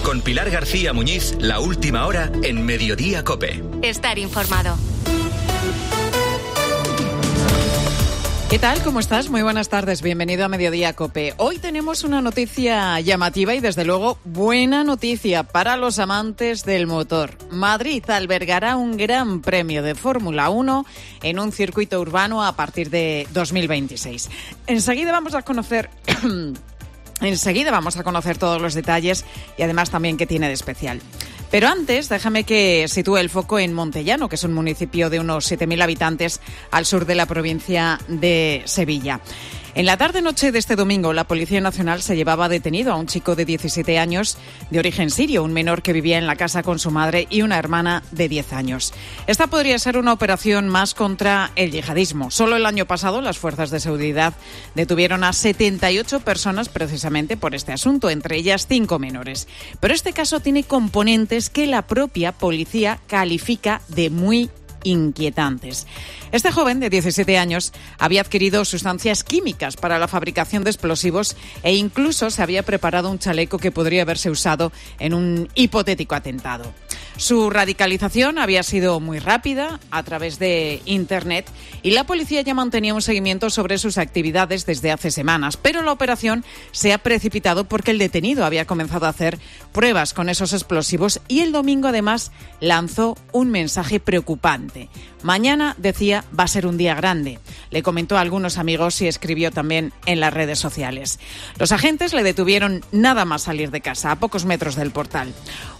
Con Pilar García Muñiz, la última hora en Mediodía COPE. Estar informado. ¿Qué tal? ¿Cómo estás? Muy buenas tardes. Bienvenido a Mediodía COPE. Hoy tenemos una noticia llamativa y, desde luego, buena noticia para los amantes del motor. Madrid albergará un gran premio de Fórmula 1 en un circuito urbano a partir de 2026. Enseguida vamos a conocer todos los detalles y además también qué tiene de especial. Pero antes, déjame que sitúe el foco en Montellano, que es un municipio de unos 7.000 habitantes al sur de la provincia de Sevilla. En la tarde-noche de este domingo, la Policía Nacional se llevaba detenido a un chico de 17 años de origen sirio, un menor que vivía en la casa con su madre y una hermana de 10 años. Esta podría ser una operación más contra el yihadismo. Solo el año pasado, las fuerzas de seguridad detuvieron a 78 personas precisamente por este asunto, entre ellas 5 menores. Pero este caso tiene componentes que la propia policía califica de muy inquietantes. Este joven de 17 años había adquirido sustancias químicas para la fabricación de explosivos e incluso se había preparado un chaleco que podría haberse usado en un hipotético atentado. Su radicalización había sido muy rápida a través de Internet y la policía ya mantenía un seguimiento sobre sus actividades desde hace semanas, pero la operación se ha precipitado porque el detenido había comenzado a hacer pruebas con esos explosivos y el domingo además lanzó un mensaje preocupante. Mañana, decía, va a ser un día grande. Le comentó a algunos amigos y escribió también en las redes sociales. Los agentes le detuvieron nada más salir de casa, a pocos metros del portal.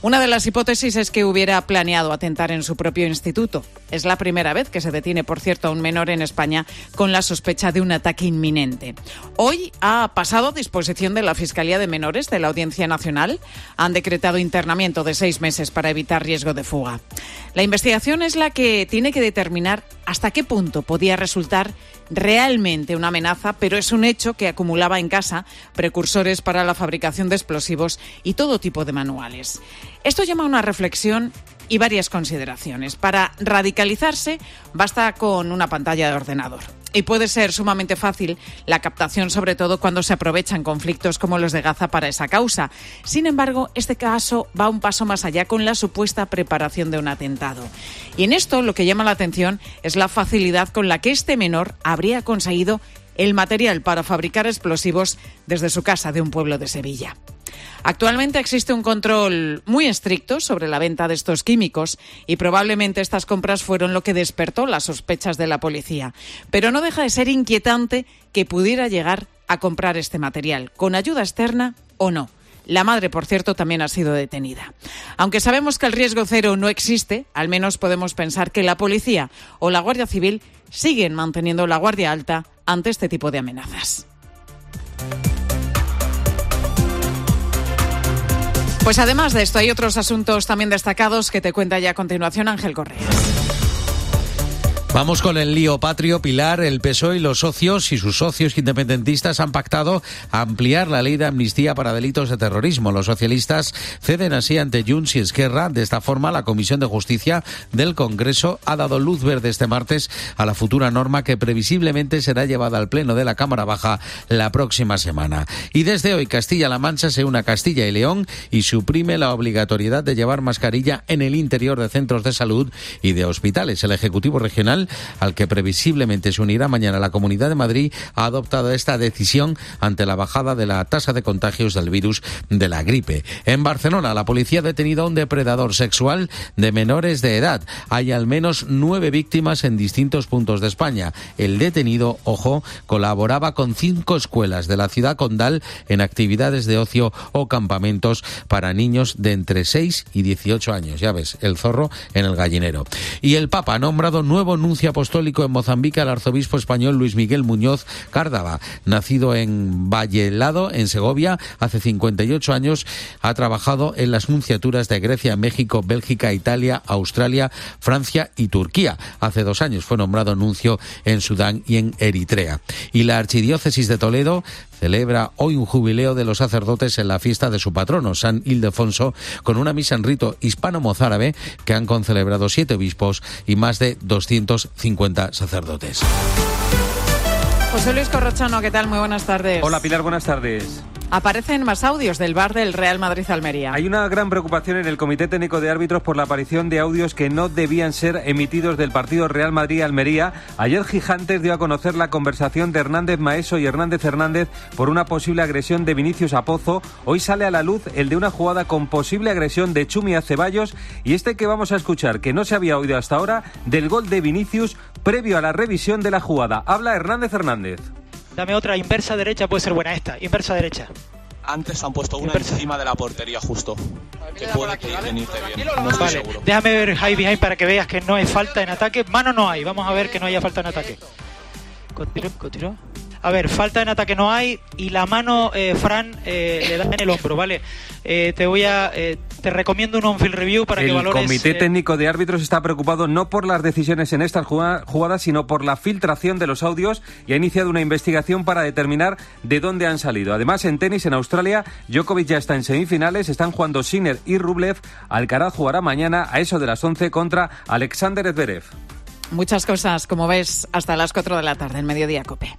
Una de las hipótesis es que hubiera planeado atentar en su propio instituto. Es la primera vez que se detiene, por cierto, a un menor en España con la sospecha de un ataque inminente. Hoy ha pasado a disposición de la Fiscalía de Menores de la Audiencia Nacional. Han decretado internamiento de 6 meses para evitar riesgo de fuga. La investigación es la que tiene que determinar hasta qué punto podía resultar realmente una amenaza, pero es un hecho que acumulaba en casa precursores para la fabricación de explosivos y todo tipo de manuales. Esto llama a una reflexión y varias consideraciones. Para radicalizarse basta con una pantalla de ordenador. Y puede ser sumamente fácil la captación, sobre todo cuando se aprovechan conflictos como los de Gaza para esa causa. Sin embargo, este caso va un paso más allá con la supuesta preparación de un atentado. Y en esto lo que llama la atención es la facilidad con la que este menor habría conseguido el material para fabricar explosivos desde su casa de un pueblo de Sevilla. Actualmente existe un control muy estricto sobre la venta de estos químicos y probablemente estas compras fueron lo que despertó las sospechas de la policía. Pero no deja de ser inquietante que pudiera llegar a comprar este material, con ayuda externa o no. La madre, por cierto, también ha sido detenida. Aunque sabemos que el riesgo cero no existe, al menos podemos pensar que la policía o la Guardia Civil siguen manteniendo la guardia alta ante este tipo de amenazas. Pues además de esto hay otros asuntos también destacados que te cuenta ya a continuación Ángel Correas. Vamos con el lío patrio, Pilar. El PSOE y los socios y sus socios independentistas han pactado ampliar la ley de amnistía para delitos de terrorismo. Los socialistas ceden así ante Junts y Esquerra. De esta forma, la Comisión de Justicia del Congreso ha dado luz verde este martes a la futura norma que previsiblemente será llevada al Pleno de la Cámara Baja la próxima semana. Y desde hoy Castilla-La Mancha se une a Castilla y León y suprime la obligatoriedad de llevar mascarilla en el interior de centros de salud y de hospitales. El Ejecutivo Regional, al que previsiblemente se unirá mañana la Comunidad de Madrid, ha adoptado esta decisión ante la bajada de la tasa de contagios del virus de la gripe. En Barcelona, la policía ha detenido a un depredador sexual de menores de edad. Hay al menos 9 víctimas en distintos puntos de España. El detenido, ojo, colaboraba con 5 escuelas de la ciudad condal en actividades de ocio o campamentos para niños de entre 6 y 18 años. Ya ves, el zorro en el gallinero. Y el Papa ha nombrado nuevo nuncio apostólico en Mozambique al arzobispo español Luis Miguel Muñoz Cárdava. Nacido en Vallelado, en Segovia, hace 58 años, ha trabajado en las nunciaturas de Grecia, México, Bélgica, Italia, Australia, Francia y Turquía. Hace 2 años fue nombrado nuncio en Sudán y en Eritrea. Y la Archidiócesis de Toledo celebra hoy un jubileo de los sacerdotes en la fiesta de su patrono, San Ildefonso, con una misa en rito hispano-mozárabe que han concelebrado 7 obispos y más de 250 sacerdotes. José Luis Corrochano, ¿qué tal? Muy buenas tardes. Hola Pilar, buenas tardes. Aparecen más audios del bar del Real Madrid-Almería. Hay una gran preocupación en el Comité Técnico de Árbitros por la aparición de audios que no debían ser emitidos del partido Real Madrid-Almería. Ayer Gigantes dio a conocer la conversación de Hernández Maeso y Hernández Hernández por una posible agresión de Vinicius a Pozo. Hoy sale a la luz el de una jugada con posible agresión de Chumi a Ceballos y este que vamos a escuchar, que no se había oído hasta ahora, del gol de Vinicius previo a la revisión de la jugada. Habla Hernández Hernández. Dame otra, inversa derecha, puede ser buena esta, inversa derecha. Antes han puesto una encima de la portería justo, que puede que venirte bien. No estoy seguro. Déjame ver high behind para que veas que no hay falta en ataque. Mano no hay, vamos a ver que no haya falta en ataque. Continúa. A ver, falta en ataque no hay y la mano, Fran, le da en el hombro, ¿vale? Te recomiendo un on-field review para que valores... El Comité Técnico de Árbitros está preocupado no por las decisiones en estas jugadas, sino por la filtración de los audios y ha iniciado una investigación para determinar de dónde han salido. Además, en tenis, en Australia, Djokovic ya está en semifinales, están jugando Sinner y Rublev. Alcaraz jugará mañana a eso de las 11 contra Alexander Zverev. Muchas cosas, como ves, hasta las 4 de la tarde, en Mediodía COPE.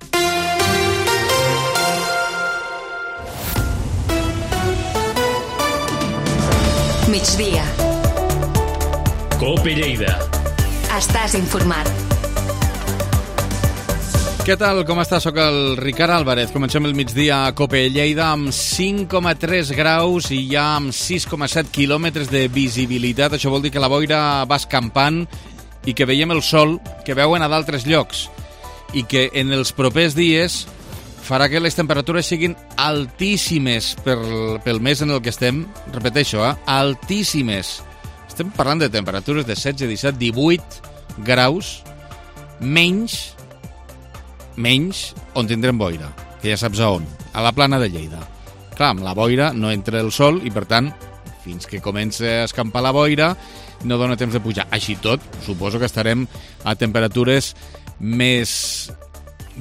Migdia. COPE Lleida. Estàs informat. Què tal? Com estàs? Soc el Ricard Álvarez. Comencem el migdia a COPE Lleida amb 5,3 graus i ja amb 6,7 quilòmetres de visibilitat. Això vol dir que la boira va escampant i que veiem el sol que veuen a d'altres llocs i que en els propers dies farà que les temperatures siguin altíssimes pel mes en el que estem. Repeteixo, altíssimes. Estem parlant de temperatures de 16, 17, 18 graus menys on tindrem boira, que ja saps a on, a la plana de Lleida. Clar, amb la boira no entra el sol i, per tant, fins que comença a escampar la boira, no dona temps de pujar. Així tot, suposo que estarem a temperatures més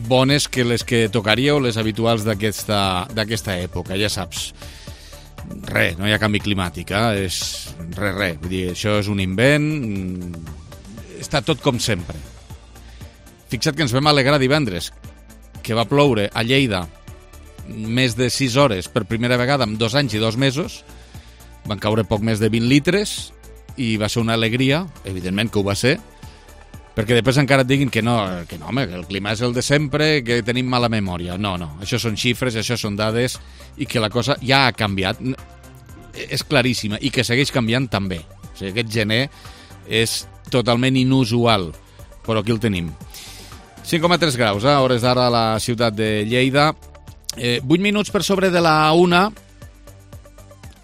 bones que les que tocaria o les habituals d'aquesta època, ja saps. Res, no hi ha canvi climàtic, és res. Vull dir, això és un invent, està tot com sempre. Fixa't que ens vam alegrar divendres, que va ploure a Lleida més de 6 hores per primera vegada en 2 anys i 2 mesos, van caure poc més de 20 litres i va ser una alegria, evidentment que ho va ser, perquè després encara et diguin que no, home, que el clima és el de sempre, que tenim mala memòria. No, això són xifres, això són dades i que la cosa ja ha canviat. És claríssima i que segueix canviant també. O sigui, aquest gener és totalment inusual, però aquí el tenim. 5,3 graus, a hores d'ara a la ciutat de Lleida. 8 minuts per sobre de la 1.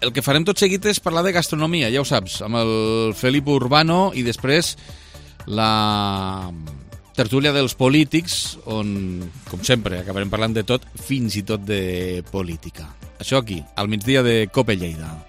El que farem tot seguit és parlar de gastronomia, ja ho saps, amb el Felip Urbano i després la tertúlia dels polítics, on, com sempre, acabarem parlant de tot, fins i tot de política. Això aquí, al migdia de COPE Lleida.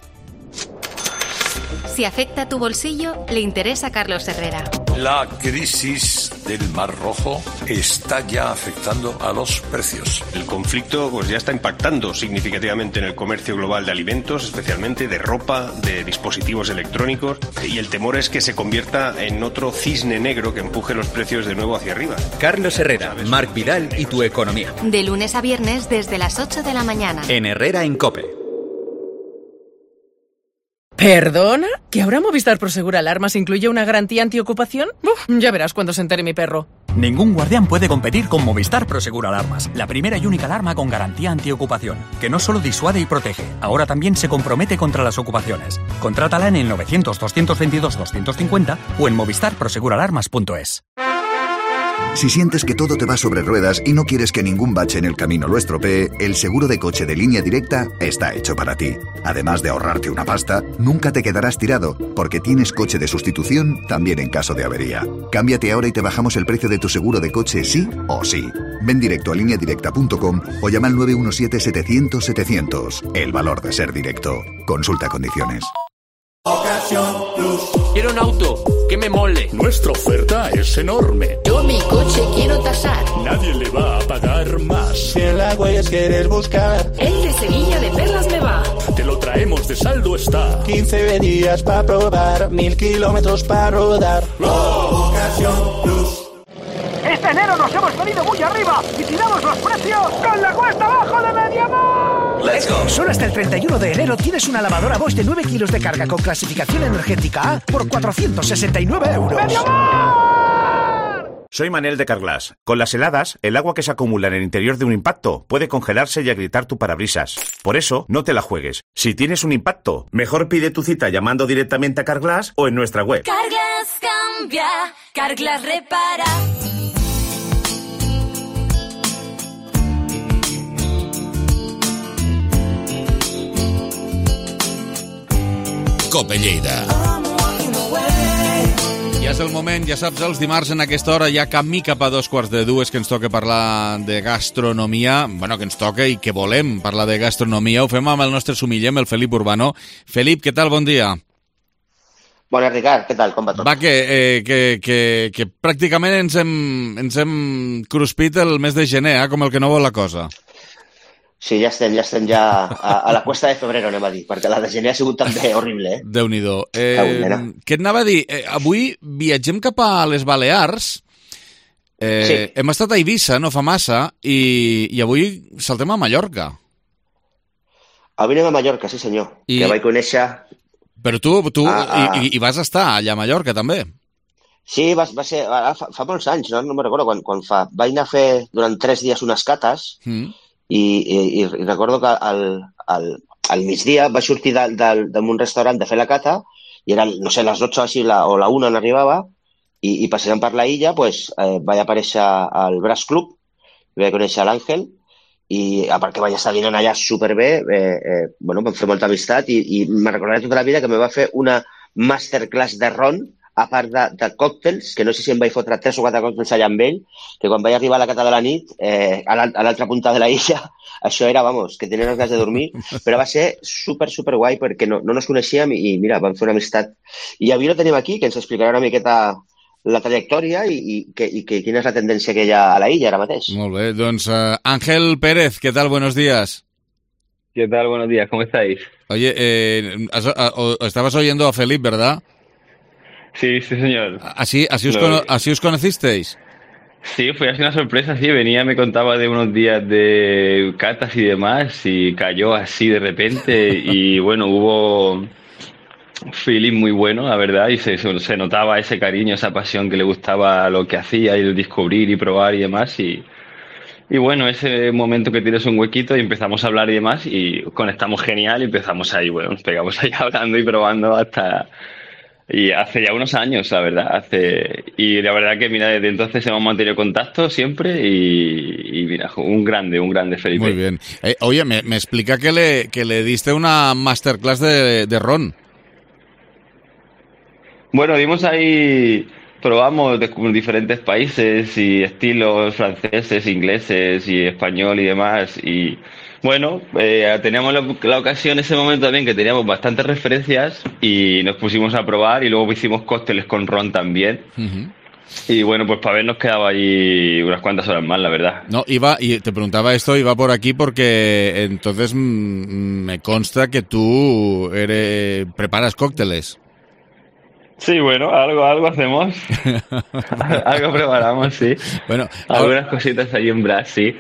Si afecta tu bolsillo, le interesa a Carlos Herrera. La crisis del Mar Rojo está ya afectando a los precios. El conflicto ya está impactando significativamente en el comercio global de alimentos, especialmente de ropa, de dispositivos electrónicos, y el temor es que se convierta en otro cisne negro que empuje los precios de nuevo hacia arriba. Carlos Herrera, Marc Vidal y tu economía. De lunes a viernes desde las 8 de la mañana. En Herrera en COPE. ¿Perdona? ¿Que ahora Movistar Prosegur Alarmas incluye una garantía antiocupación? Ya verás cuando se entere mi perro. Ningún guardián puede competir con Movistar Prosegur Alarmas, la primera y única alarma con garantía antiocupación, que no solo disuade y protege, ahora también se compromete contra las ocupaciones. Contrátala en el 900 222 250 o en movistarproseguralarmas.es. Si sientes que todo te va sobre ruedas y no quieres que ningún bache en el camino lo estropee, el seguro de coche de Línea Directa está hecho para ti. Además de ahorrarte una pasta, nunca te quedarás tirado, porque tienes coche de sustitución también en caso de avería. Cámbiate ahora y te bajamos el precio de tu seguro de coche sí o sí. Ven directo a lineadirecta.com o llama al 917-700-700. El valor de ser directo. Consulta condiciones. Ocasión Plus. Quiero un auto que me mole. Nuestra oferta es enorme. Yo mi coche quiero tasar. Nadie le va a pagar más. Si en la Huellas quieres buscar, El de Sevilla de Perlas me va. Te lo traemos de saldo está. 15 días para probar, 1000 kilómetros para rodar. Ocasión Plus. Este enero nos hemos venido muy arriba y tiramos los precios con la cuesta abajo de Mediamar. Let's go. Solo hasta el 31 de enero tienes una lavadora Bosch de 9 kilos de carga con clasificación energética A por 469 euros. ¡Mediamar! Soy Manel de Carglass. Con las heladas, el agua que se acumula en el interior de un impacto puede congelarse y agrietar tu parabrisas. Por eso, no te la juegues. Si tienes un impacto, mejor pide tu cita llamando directamente a Carglass o en nuestra web. Carglass cambia, Carglass repara. Cope Lleida. Ja és el moment, ja saps, els dimarts en aquesta hora ja camí cap a 2:45 que ens toca parlar de gastronomia, bueno, que ens toca i que volem parlar de gastronomia. Ho fem amb el nostre sumiller, el Felip Urbano. Felip, què tal? Bon dia. Bona, Ricard, què tal? Com va tot? Va, que pràcticament ens hem cruspit el mes de gener, com el que no vol la cosa. Sí, ja estem a la cuesta de febrero, anem a dir, perquè la de gener ha sigut també horrible, Déu-n'hi-do. Què et anava a dir? Avui viatgem cap a les Balears. Sí. Hem estat a Eivissa, no fa massa, i avui saltem a Mallorca. Avui anem a Mallorca, sí senyor, que vaig conèixer... Però tu hi vas estar allà a Mallorca, també. Sí, va ser... Fa molts anys, no me'n recordo quan fa. Vaig anar a fer durant 3 dies unes cates, i recordo que al migdia vaig sortir d'un restaurant de fer la cata i eren, no sé, les 12 així, o la 1 n'arribava i passejant per la illa pues, vaig aparèixer al Brass Club, vaig conèixer l'Àngel i a part que vaig estar dinant allà superbé, bueno, vam fer molta amistat i me recordaré tota la vida que me va fer una masterclass de ron a part de còctels, que no sé si em vaig fotre 3 o 4 còctels allà amb ell, que quan vaig arribar a la cata de la nit, a l'altra punta de la illa, això era, vamos, que tenia unes ganes de dormir, però va ser super guai perquè no ens coneixíem i mira, vam fer una amistat. I avui lo tenim aquí, que ens explicarà una miqueta la trajectòria i quina és la tendència que hi ha a la illa ara mateix. Molt bé, doncs Ángel Pérez, ¿qué tal? Buenos días. ¿Qué tal? Buenos días, ¿cómo estáis? Oye, estabas oyendo a Felipe, ¿verdad? Sí, señor. ¿Así os conocisteis? Sí, fue así una sorpresa, sí, venía, me contaba de unos días de catas y demás y cayó así de repente y bueno, hubo feeling muy bueno, la verdad, y se notaba ese cariño, esa pasión que le gustaba lo que hacía y el descubrir y probar y demás y bueno, ese momento que tienes un huequito y empezamos a hablar y demás y conectamos genial y empezamos ahí, bueno, nos pegamos ahí hablando y probando hasta... Y hace ya unos años, la verdad. Y la verdad que, mira, desde entonces hemos mantenido contacto siempre y mira, un grande Felipe. Muy bien. Oye, me explica que le diste una masterclass de ron. Bueno, dimos ahí, probamos de diferentes países y estilos franceses, ingleses y español y demás y... Bueno, teníamos la ocasión en ese momento también que teníamos bastantes referencias y nos pusimos a probar y luego hicimos cócteles con ron también. Y bueno, pues para habernos quedado ahí unas cuantas horas más, la verdad. No, y te preguntaba esto, iba por aquí porque entonces me consta que tú preparas cócteles. Sí, bueno, algo hacemos. Algo preparamos, sí. Bueno, algunas cositas ahí en Brass, sí.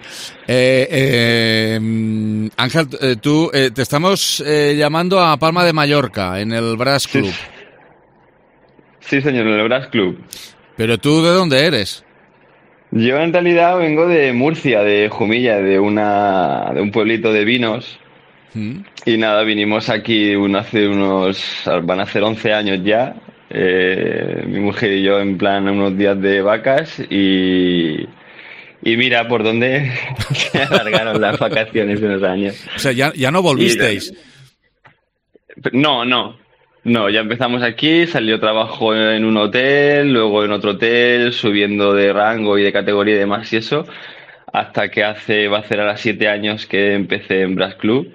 Ángel, tú te estamos llamando a Palma de Mallorca, en el Brass Club. Sí, señor, en el Brass Club. ¿Pero tú de dónde eres? Yo en realidad vengo de Murcia, de Jumilla, de un pueblito de vinos. Y nada, vinimos aquí van a hacer 11 años ya. mi mujer y yo en plan unos días de vacas y mira por dónde se alargaron las vacaciones de unos años. O sea, ya no volvisteis. No, ya empezamos aquí, salió trabajo en un hotel, luego en otro hotel, subiendo de rango y de categoría y demás y eso, hasta que va a hacer ahora 7 años que empecé en Brass Club,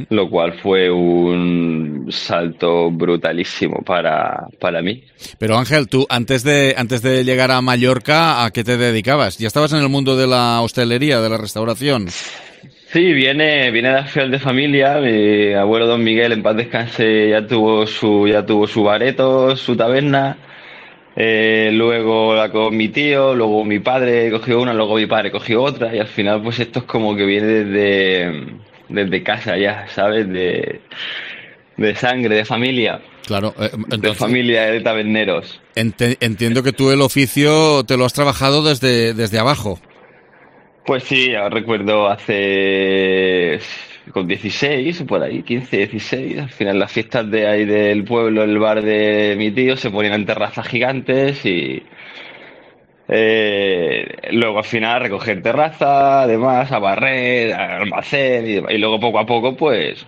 lo cual fue un salto brutalísimo para mí. Pero Ángel, tú antes de llegar a Mallorca, ¿a qué te dedicabas? ¿Ya estabas en el mundo de la hostelería, de la restauración? Sí, viene de al final de familia. Mi abuelo Don Miguel, en paz descanse, ya tuvo su bareto, su taberna. Luego la con mi tío, luego mi padre cogió una, luego mi padre cogió otra, y al final pues esto es como que viene desde casa ya, ¿sabes? De sangre, de familia. Claro, entonces, de familia de taberneros. Entiendo que tú el oficio te lo has trabajado desde abajo. Pues sí, recuerdo con 16, por ahí, 15, 16, al final las fiestas de ahí del pueblo, el bar de mi tío, se ponían en terrazas gigantes y luego al final a recoger terraza, además, a barrer, a almacén y luego poco a poco pues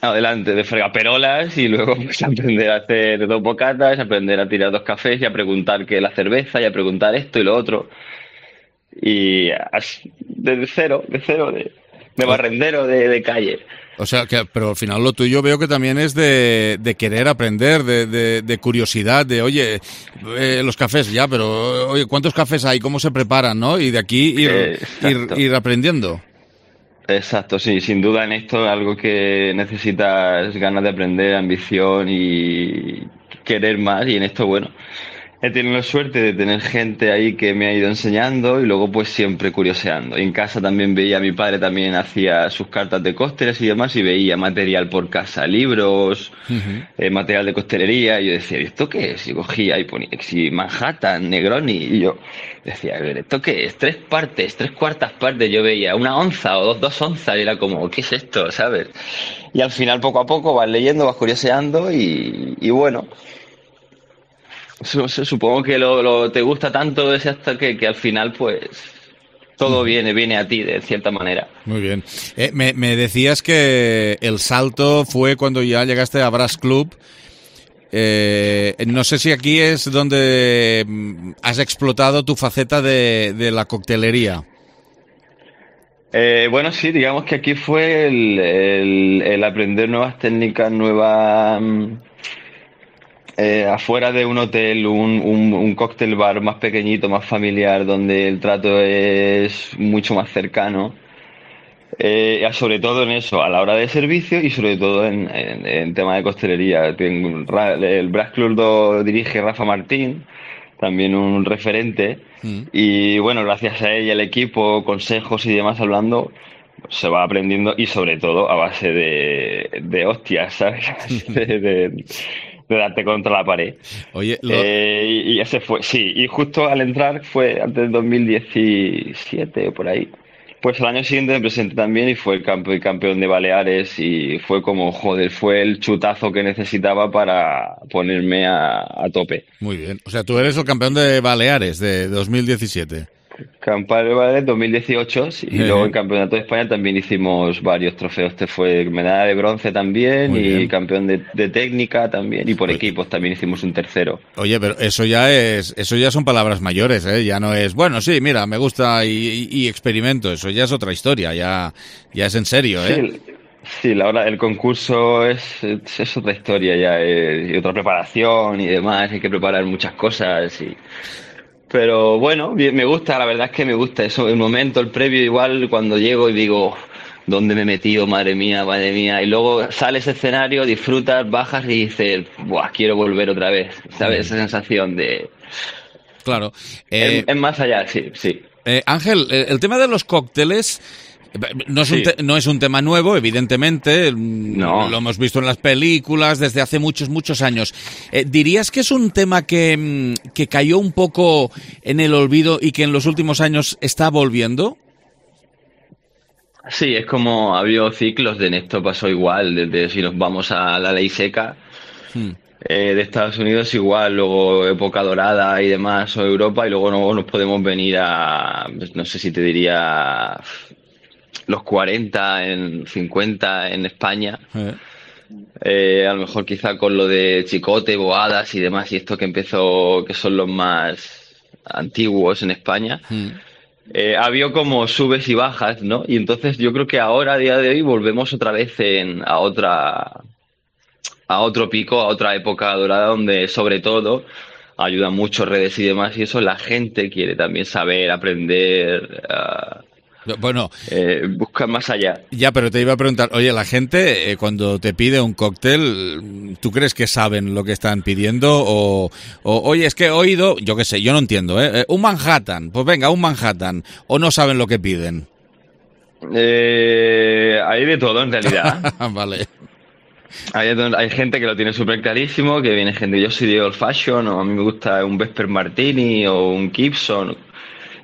adelante de fregaperolas y luego pues aprender a hacer 2 bocatas, aprender a tirar 2 cafés y a preguntar qué es la cerveza y a preguntar esto y lo otro. Y desde cero, de barrendero de calle. O sea, pero al final lo tuyo veo que también es de querer aprender, de curiosidad, de oye, los cafés ya, pero oye, ¿cuántos cafés hay? ¿Cómo se preparan? ¿No? Y de aquí ir aprendiendo. Exacto, sí, sin duda en esto es algo que necesitas ganas de aprender, ambición y querer más, y en esto, bueno, he tenido la suerte de tener gente ahí que me ha ido enseñando y luego pues siempre curioseando. En casa también veía, mi padre también hacía sus cartas de cócteles y demás y veía material por casa, libros, material de coctelería, y yo decía, ¿esto qué es? Y cogía y ponía Manhattan, Negroni, y yo decía, a ver, ¿esto qué es? 3 partes, 3/4 partes, yo veía 1 onza o 2 onzas y era como, ¿qué es esto? ¿Sabes? Y al final poco a poco vas leyendo, vas curioseando y bueno... Supongo que te gusta tanto ese hasta que al final pues todo viene a ti de cierta manera. Muy bien. Me decías que el salto fue cuando ya llegaste a Brass Club. No sé si aquí es donde has explotado tu faceta de la coctelería. Bueno, sí, digamos que aquí fue el aprender nuevas técnicas, afuera de un hotel, un cóctel bar más pequeñito, más familiar, donde el trato es mucho más cercano, sobre todo en eso, a la hora de servicio y sobre todo en tema de costelería. El Brass Club lo dirige Rafa Martín, también un referente, y bueno, gracias a ella, el equipo, consejos y demás hablando, se va aprendiendo, y sobre todo a base de hostias, ¿sabes? De darte contra la pared. Oye, y ese fue, sí, y justo al entrar fue antes del 2017 o por ahí. Pues el año siguiente me presenté también y fue el campeón de Baleares, y fue como, joder, fue el chutazo que necesitaba para ponerme a tope. Muy bien, o sea, tú eres el campeón de Baleares de 2017. Campeón de Baleares 2018, sí, y luego en Campeonato de España también hicimos varios trofeos. Este fue medalla de bronce también. Muy y bien. Campeón de técnica también, y por equipos también hicimos un tercero. Oye, pero eso ya son palabras mayores, ¿eh? Ya no es, bueno, sí, mira, me gusta y experimento. Eso ya es otra historia, ya es en serio, ¿eh? Sí, el concurso es otra historia ya, y otra preparación y demás. Hay que preparar muchas cosas y... Pero bueno, me gusta, la verdad es que me gusta eso. El momento, el previo, igual cuando llego y digo, ¿dónde me he metido? Madre mía. Y luego sales ese escenario, disfrutas, bajas y dices, ¡buah, quiero volver otra vez! ¿Sabes? Esa sensación de... Claro. Es más allá, sí. Ángel, el tema de los cócteles... No es un tema nuevo, evidentemente. No. Lo hemos visto en las películas desde hace muchos años. ¿Dirías que es un tema que cayó un poco en el olvido y que en los últimos años está volviendo? Sí, es como ha habido ciclos, en esto pasó igual. Desde si nos vamos a la ley seca, de Estados Unidos igual, luego época dorada y demás, o Europa, y luego nos podemos venir a, no sé si te diría, los 40, 50 en España. A lo mejor quizá con lo de Chicote, Boadas y demás, y esto que empezó, que son los más antiguos en España. Ha habido como subes y bajas, ¿no? Y entonces yo creo que ahora, a día de hoy, volvemos otra vez a otro pico, a otra época dorada, donde sobre todo ayudan mucho redes y demás, y eso la gente quiere también saber, aprender, buscar más allá. Ya, pero te iba a preguntar, oye, la gente cuando te pide un cóctel, ¿tú crees que saben lo que están pidiendo? O oye, es que he oído, yo qué sé, yo no entiendo, un Manhattan, pues venga, un Manhattan, o no saben lo que piden. Hay de todo en realidad. Vale. Hay gente que lo tiene súper clarísimo, que viene gente, yo soy de old fashion, o a mí me gusta un Vesper Martini o un Gibson,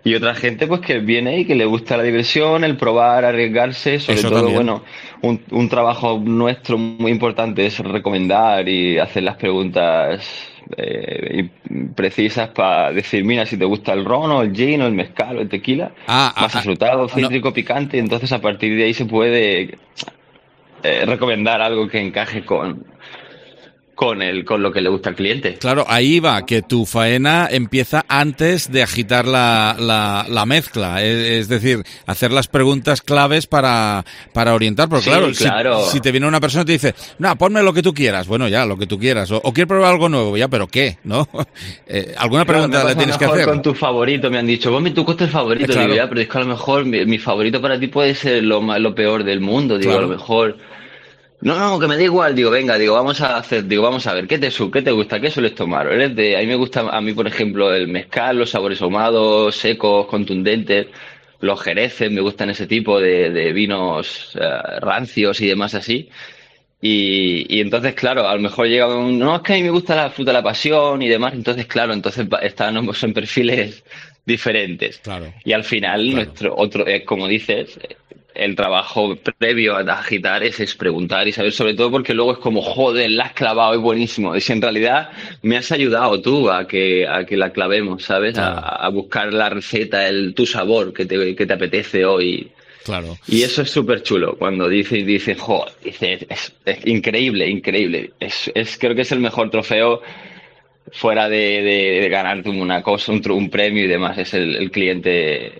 y otra gente pues que viene y que le gusta la diversión, el probar, arriesgarse, sobre Eso todo también. bueno, un trabajo nuestro muy importante es recomendar y hacer las preguntas precisas para decir, mira, si te gusta el ron o el gin o el mezcal o el tequila, más afrutado, cítrico, picante, entonces a partir de ahí se puede recomendar algo que encaje con lo que le gusta al cliente. Claro, ahí va, que tu faena empieza antes de agitar la mezcla, es decir, hacer las preguntas claves para orientar, porque Sí, claro. Si te viene una persona y te dice, no, ponme lo que tú quieras, bueno, ya, lo que tú quieras, o quiero probar algo nuevo, ya, pero ¿qué? ¿No? Alguna pregunta le tienes que hacer. Con tu favorito, me han dicho, ponme tu cóctel favorito, Claro. digo, ya, pero es que a lo mejor mi favorito para ti puede ser lo peor del mundo, digo, Claro. a lo mejor... No, que me da igual, digo, venga, vamos a ver, ¿qué te gusta? ¿Qué sueles tomar? A mí me gusta, por ejemplo, el mezcal, los sabores ahumados, secos, contundentes, los jereces, me gustan ese tipo de vinos rancios y demás así. Y entonces, claro, a lo mejor llega no, es que a mí me gusta la fruta de la pasión y demás, entonces, claro, estamos en perfiles diferentes. Claro. Y al final, nuestro otro, como dices, el trabajo previo a agitar es preguntar y saber, sobre todo porque luego es como, joder, la has clavado, es buenísimo. Y si en realidad me has ayudado tú a que la clavemos, ¿sabes? Claro. A buscar la receta, tu sabor que te apetece hoy. Claro. Y eso es súper chulo, cuando dice, joder, es increíble. Creo que es el mejor trofeo fuera de ganarte una cosa, un premio y demás, es el cliente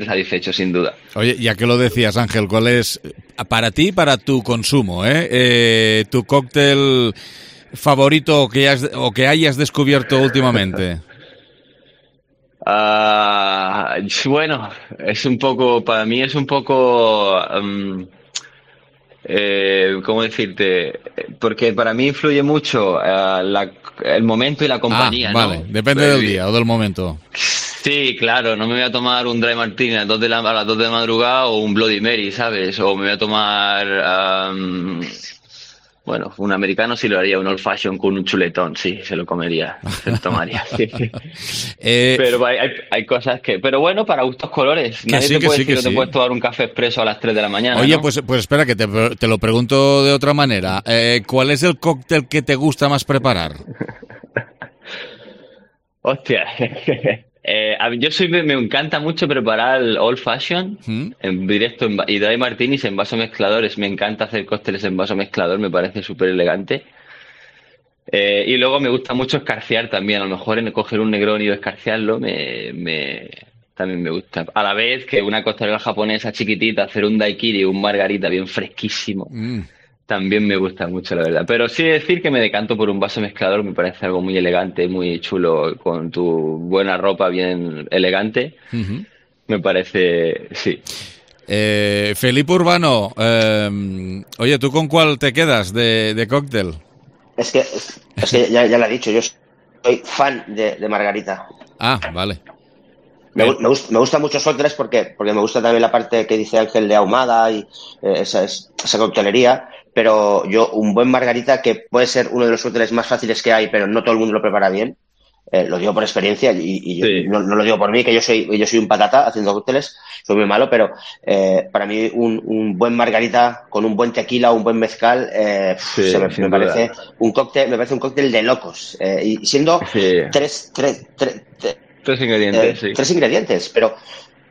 satisfecho, sin duda. Oye, ya que lo decías, Ángel, ¿cuál es para ti, para tu consumo, tu cóctel favorito o que hayas descubierto últimamente? Bueno, para mí es un poco, ¿cómo decirte? Porque para mí influye mucho el momento y la compañía, vale, ¿no? Depende del día o del momento. Sí, claro, no me voy a tomar un Dry Martini a las 2 de la madrugada o un Bloody Mary, ¿sabes? O me voy a tomar, bueno, un americano sí lo haría, un old fashion con un chuletón, sí, se lo comería, se lo tomaría. Pero hay cosas que... Pero bueno, para gustos colores. Nadie te puede decir que te puedes tomar un café expreso a las 3 de la mañana, Oye, ¿no? pues espera, que te lo pregunto de otra manera. ¿Cuál es el cóctel que te gusta más preparar? Hostia. Me encanta mucho preparar el old fashion en directo y dry martinis en vaso mezcladores. Me encanta hacer cócteles en vaso mezclador, me parece súper elegante. Y luego me gusta mucho escarciar también. A lo mejor en coger un Negroni y escarciarlo también me gusta. A la vez que una costelera japonesa chiquitita, hacer un daiquiri, un margarita bien fresquísimo. También me gusta mucho, la verdad. Pero sí decir que me decanto por un vaso mezclador, me parece algo muy elegante, muy chulo, con tu buena ropa bien elegante. Me parece, sí. Felipe Urbano, oye, ¿tú con cuál te quedas de cóctel? Es que ya lo he dicho, yo soy fan de Margarita. Ah, vale. Me gustan muchos cócteles porque me gusta también la parte que dice Ángel de ahumada y esa coctelería, pero un buen Margarita, que puede ser uno de los cócteles más fáciles que hay, pero no todo el mundo lo prepara bien, lo digo por experiencia y Sí. no lo digo por mí, que yo soy un patata haciendo cócteles, soy muy malo, pero para mí un buen margarita con un buen tequila o un buen mezcal me parece un cóctel de locos, y siendo tres ingredientes, tres ingredientes, pero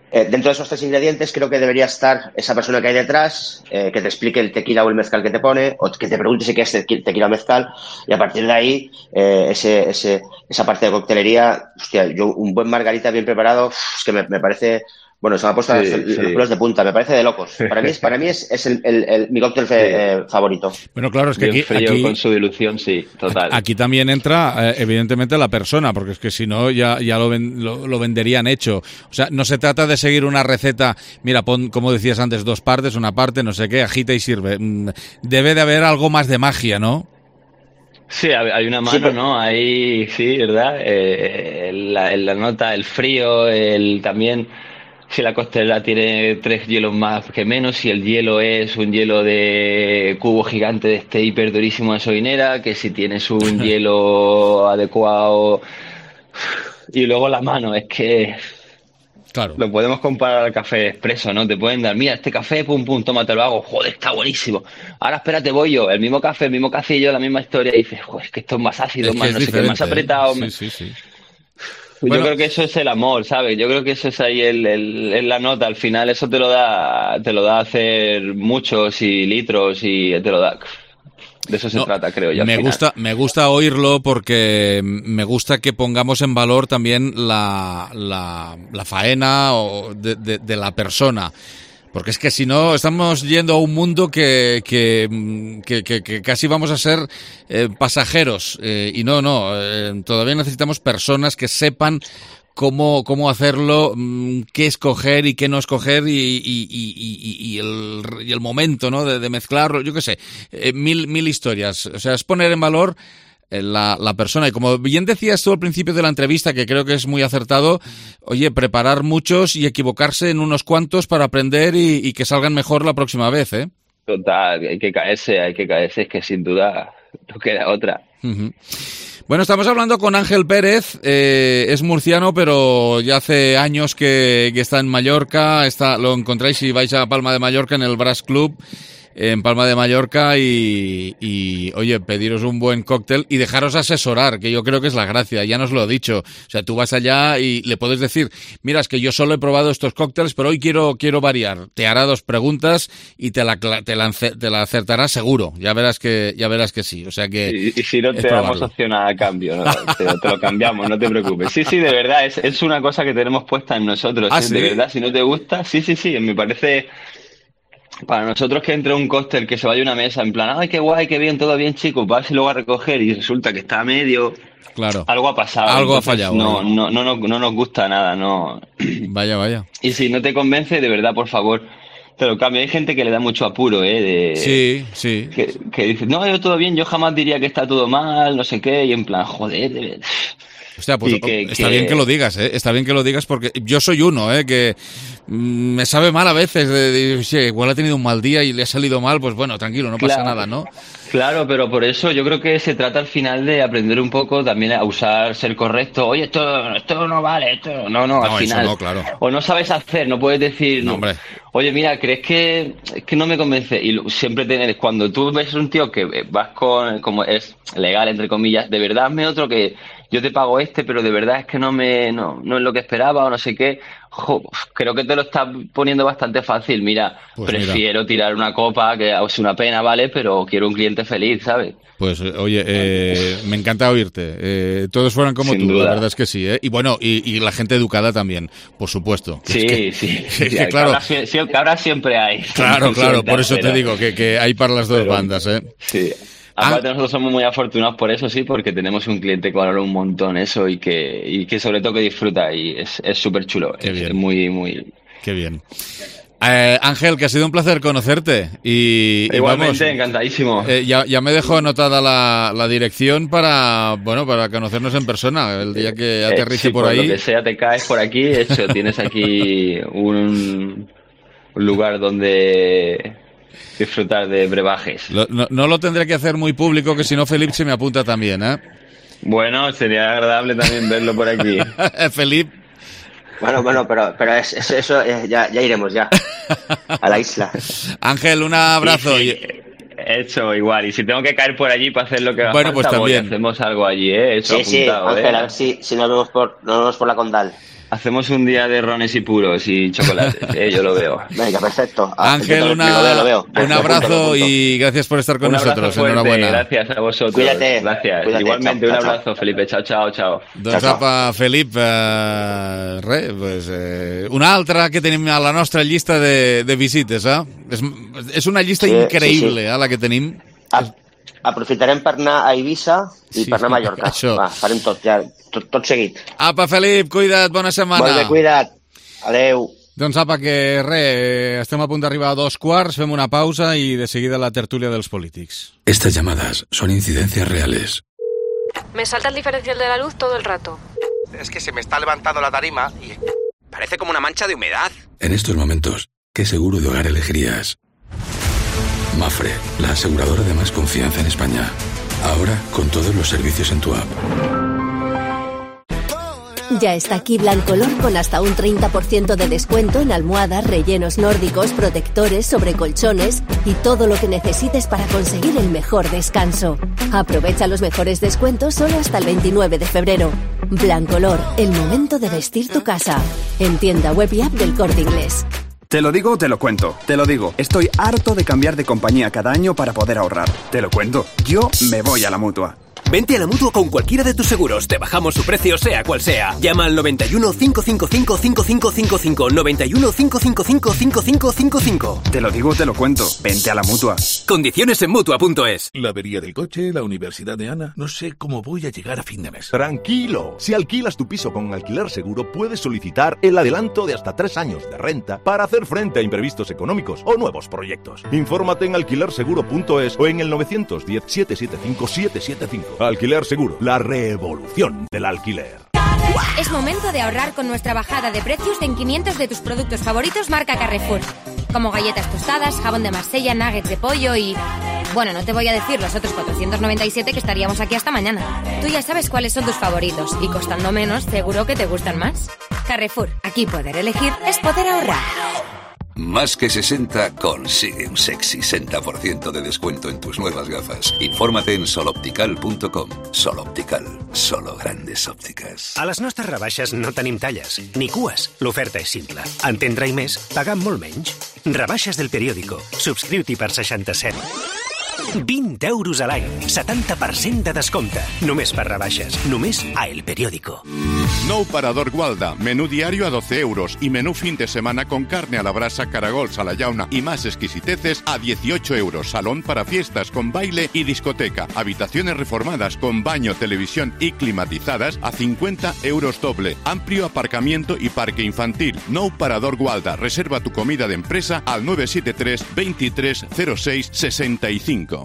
dentro de esos 3 ingredientes creo que debería estar esa persona que hay detrás, que te explique el tequila o el mezcal que te pone, o que te pregunte si quieres tequila o mezcal, y a partir de ahí esa parte de coctelería, hostia, un buen margarita bien preparado, es que me parece... Bueno, se me ha puesto los pelos de punta, me parece de locos. Para mí es mi cóctel favorito. Bueno, claro, es que bien frío, aquí con su dilución, sí, total. Aquí también entra, evidentemente, la persona, porque es que si no ya lo venderían hecho. O sea, no se trata de seguir una receta, mira, pon, como decías antes, 2 partes, una parte, no sé qué, agita y sirve. Debe de haber algo más de magia, ¿no? Sí, hay una mano, ¿no? Ahí, sí, ¿verdad? La nota, el frío, también... Si la costelera tiene 3 hielos más que menos, si el hielo es un hielo de cubo gigante de este hiper durísimo de soinera, que si tienes un hielo adecuado. Y luego la mano, es que... Claro. Lo podemos comparar al café expreso, ¿no? Te pueden dar, mira, este café, pum, pum, toma, te lo hago, joder, está buenísimo. Ahora espérate, voy yo, el mismo café, el mismo cafillo, la misma historia, y dices, joder, es que esto es más ácido, más no sé qué, más apretado. Sí. Yo creo que eso es el amor, ¿sabes? Yo creo que eso es ahí la nota. Al final eso te lo da hacer muchos y litros y te lo da. De eso se trata, creo yo. Me gusta oírlo porque me gusta que pongamos en valor también la faena de la persona. Porque es que si no, estamos yendo a un mundo que casi vamos a ser pasajeros. Y no, todavía necesitamos personas que sepan cómo hacerlo, qué escoger y qué no escoger y el momento, ¿no? de mezclarlo, yo qué sé, mil historias. O sea, es poner en valor la persona. Y como bien decías tú al principio de la entrevista, que creo que es muy acertado, oye, preparar muchos y equivocarse en unos cuantos para aprender y que salgan mejor la próxima vez, ¿eh? Total, hay que caerse, es que sin duda no queda otra. Uh-huh. Bueno, estamos hablando con Ángel Pérez, es murciano, pero ya hace años que está en Mallorca, lo encontráis si vais a Palma de Mallorca en el Brass Club, en Palma de Mallorca y oye, pediros un buen cóctel y dejaros asesorar, que yo creo que es la gracia, ya nos lo he dicho. O sea, tú vas allá y le puedes decir, mira, es que yo solo he probado estos cócteles, pero hoy quiero variar. Te hará 2 preguntas y te la acertará seguro. Ya verás que sí. O sea que y si no te damos opción a cambio, ¿no? te lo cambiamos, no te preocupes. Sí, de verdad, es una cosa que tenemos puesta en nosotros. ¿Ah, sí? De verdad, si no te gusta, sí, me parece... Para nosotros que entre un cóctel, que se vaya a una mesa en plan, ay, qué guay, qué bien, todo bien, chicos, vas y luego a recoger y resulta que está a medio, claro, algo ha pasado. Algo entonces, ha fallado. No nos gusta nada, no. Vaya. Y si no te convence, de verdad, por favor, te lo cambio. Hay gente que le da mucho apuro, Sí. Que dice, no, yo todo bien, yo jamás diría que está todo mal, no sé qué, y en plan, joder, Hostia, pues está bien que lo digas, Está bien que lo digas porque yo soy uno, que me sabe mal a veces. Igual ha tenido un mal día y le ha salido mal, pues bueno, tranquilo, no pasa nada, ¿no? Claro, pero por eso yo creo que se trata al final de aprender un poco también a usar, ser correcto. Oye, esto no vale, esto no, al final. No, claro. O no sabes hacer, no puedes decir, no, hombre. Oye, mira, ¿crees que no me convence? Y siempre cuando tú ves un tío que vas con, como es legal, entre comillas, de verdad hazme otro que yo te pago pero de verdad es que no es lo que esperaba o no sé qué. Creo que te lo estás poniendo bastante fácil. Mira, pues prefiero tirar una copa, que es una pena, ¿vale? Pero quiero un cliente feliz, ¿sabes? Pues, oye, me encanta oírte. Todos fueran como Sin tú, duda. La verdad es que sí, Y bueno, y la gente educada también, por supuesto. Sí. Claro. Cabras siempre hay. Claro, Siempre, por eso pero... te digo que hay para las dos bandas, Sí. Aparte nosotros somos muy afortunados por eso, sí, porque tenemos un cliente que valora un montón eso y que sobre todo que disfruta y es súper chulo. Qué bien. Es muy... Qué bien. Ángel, que ha sido un placer conocerte y igualmente, vamos, encantadísimo. Ya me dejó anotada la dirección para conocernos en persona el día que aterrice por ahí. Lo que sea, te caes por aquí, hecho, tienes aquí un lugar donde disfrutar de brebajes. No lo tendré que hacer muy público, que si no Felipe se me apunta también, Bueno, sería agradable también verlo por aquí. Felipe. Bueno, pero eso ya iremos ya a la isla. Ángel, un abrazo. Sí. Hecho, igual. Y si tengo que caer por allí para hacer lo que va a bueno, falta, pues también hacemos algo allí, Eso sí, apuntado, Ángel, a ver si nos vemos por la Condal. Hacemos un día de rones y puros y chocolates, yo lo veo. Venga, perfecto. Ángel, lo veo. Un abrazo y gracias por estar con nosotros. Enhorabuena. Gracias a vosotros. Cuídate. Gracias. Igualmente, un abrazo, Felipe. Chao. Doncs apa, Felip, una altra que tenim a la nostra llista de visites, És una llista increïble, la que tenim. Aprofitarem per anar a Eivissa i per anar a Mallorca. Va, farem tot seguit. Apa, Felip, cuida't, bona setmana. Molt bé, cuida't. Adeu. Doncs apa, que estem a punt d'arribar a 2:15, fem una pausa i de seguida la tertúlia dels polítics. Estas llamadas son incidencias reales. Me salta el diferencial de la luz todo el rato. Es que se me está levantando la tarima y parece como una mancha de humedad. En estos momentos, ¿qué seguro de hogar elegirías? Mafre, la aseguradora de más confianza en España. Ahora con todos los servicios en tu app. Ya está aquí Blancolor con hasta un 30% de descuento en almohadas, rellenos nórdicos, protectores, sobrecolchones y todo lo que necesites para conseguir el mejor descanso. Aprovecha los mejores descuentos solo hasta el 29 de febrero. Blancolor, el momento de vestir tu casa. En tienda web y app del Corte Inglés. Te lo digo o te lo cuento. Te lo digo. Estoy harto de cambiar de compañía cada año para poder ahorrar. Te lo cuento. Yo me voy a la Mutua. Vente a la Mutua con cualquiera de tus seguros. Te bajamos su precio sea cual sea. Llama al 91 555 5555. 91 555 5555. Te lo digo o te lo cuento. Vente a la Mutua. Condiciones en Mutua.es. La avería del coche, la universidad de Ana. No sé cómo voy a llegar a fin de mes. Tranquilo. Si alquilas tu piso con Alquiler Seguro, puedes solicitar el adelanto de hasta 3 años de renta para hacer frente a imprevistos económicos o nuevos proyectos. Infórmate en alquilerseguro.es o en el 910 775 775. Alquiler Seguro, la revolución del alquiler. Es momento de ahorrar con nuestra bajada de precios en 500 de tus productos favoritos marca Carrefour. Como galletas tostadas, jabón de Marsella, nuggets de pollo y... Bueno, no te voy a decir los otros 497 que estaríamos aquí hasta mañana. Tú ya sabes cuáles son tus favoritos y costando menos, seguro que te gustan más. Carrefour, aquí poder elegir es poder ahorrar. Más que 60 consigue un sexy 60% de descuento en tus nuevas gafas. Infórmate en soloptical.com. Sol Optical, solo grandes òptiques. A les nostres rebaixes no tenim talles, ni cues. L'oferta és simple. Entendre i més, pagant molt menys. Rebaixes del periòdico. Subscriu-t'hi per 67. 20 euros a l'any, 70% de descompte. Només per rebaixes, només a El Periódico. Nou Parador Gualda, menú diario a 12 euros y menú fin de semana con carne a la brasa, caragols a la llauna y más exquisiteces a 18 euros. Salón para fiestas con baile y discoteca. Habitaciones reformadas con baño, televisión y climatizadas a 50 euros doble. Amplio aparcamiento y parque infantil. Nou Parador Gualda. Reserva tu comida de empresa al 973 23 06 65.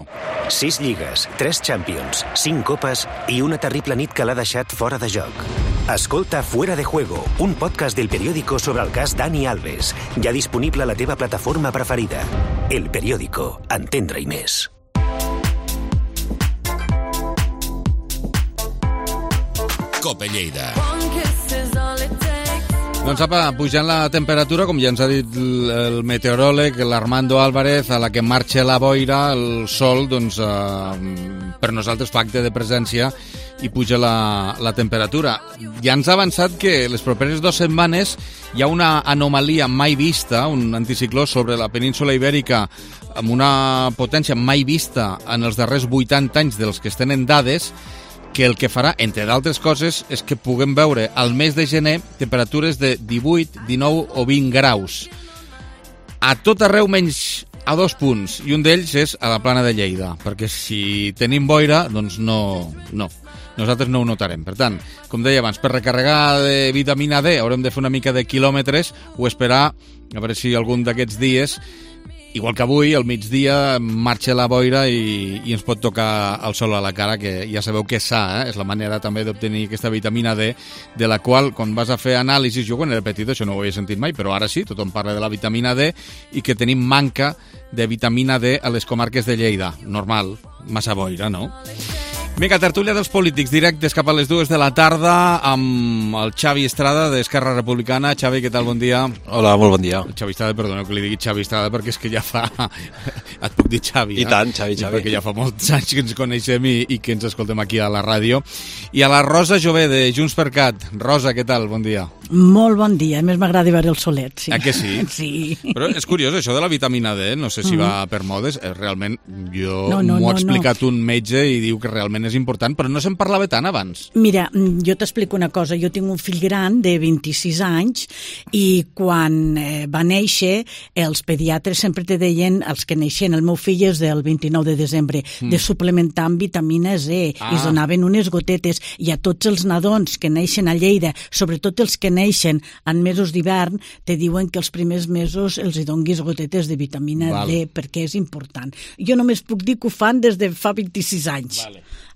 6 lligues, 3 Champions, 5 copes i una terrible nit que l'ha deixat fora de joc. Escolta Fuera de Juego, un podcast del Periódico sobre el cas Dani Alves. Ja disponible a la teva plataforma preferida. El Periódico, entendre i més. Cope Lleida. Doncs apa, pujant la temperatura, com ja ens ha dit el meteoròleg, l'Armando Álvarez, a la que marxa la boira, el sol, doncs, per nosaltres fa acte de presència i puja la temperatura. Ja ens ha avançat que les properes 2 setmanes hi ha una anomalia mai vista, un anticicló sobre la península Ibèrica amb una potència mai vista en els darrers 80 anys dels que es tenen dades, que el que farà, entre d'altres coses, és que puguem veure al mes de gener temperatures de 18, 19 o 20 graus. A tot arreu menys a 2 punts, i un d'ells és a la Plana de Lleida, perquè si tenim boira, doncs no. Nosaltres no ho notarem. Per tant, com deia abans, per recarregar de vitamina D haurem de fer una mica de quilòmetres o esperar a veure si algun d'aquests dies, igual que avui, al migdia, marxa la boira i ens pot tocar el sol a la cara, que ja sabeu que és sa, és la manera també d'obtenir aquesta vitamina D, de la qual, quan vas a fer anàlisis, jo quan era petit això no ho havia sentit mai, però ara sí, tothom parla de la vitamina D i que tenim manca de vitamina D a les comarques de Lleida. Normal, massa boira, no? Vinga, tertúlia dels polítics, directes cap a les 2 de la tarda amb el Xavi Estrada d'Esquerra Republicana. Xavi, què tal? Bon dia. Hola, molt bon dia. El Xavi Estrada, perdoneu que li digui Xavi Estrada perquè és que ja fa... Et puc dir Xavi, I tant, Xavi. Perquè ja fa molts anys que ens coneixem i que ens escoltem aquí a la ràdio. I a la Rosa Jové, de Junts per Cat. Rosa, què tal? Bon dia. Molt bon dia, a més m'agrada veure el solet, sí. Que sí? Sí. Però és curiós, això de la vitamina D, no sé si va per modes, realment m'ho ha explicat un metge i diu que realment és important, però no se'n parlava tant abans. Mira, jo t'explico una cosa, jo tinc un fill gran de 26 anys i quan va néixer els pediatres sempre te deien, els que neixen, el meu fill és del 29 de desembre, de suplementar amb vitamina C, i es donaven unes gotetes, i a tots els nadons que neixen a Lleida, sobretot els que neixen en mesos d'hivern, te diuen que els primers mesos els hi donguis gotetes de vitamina D, perquè és important. Jo només puc dir que ho fan des de fa 26 anys.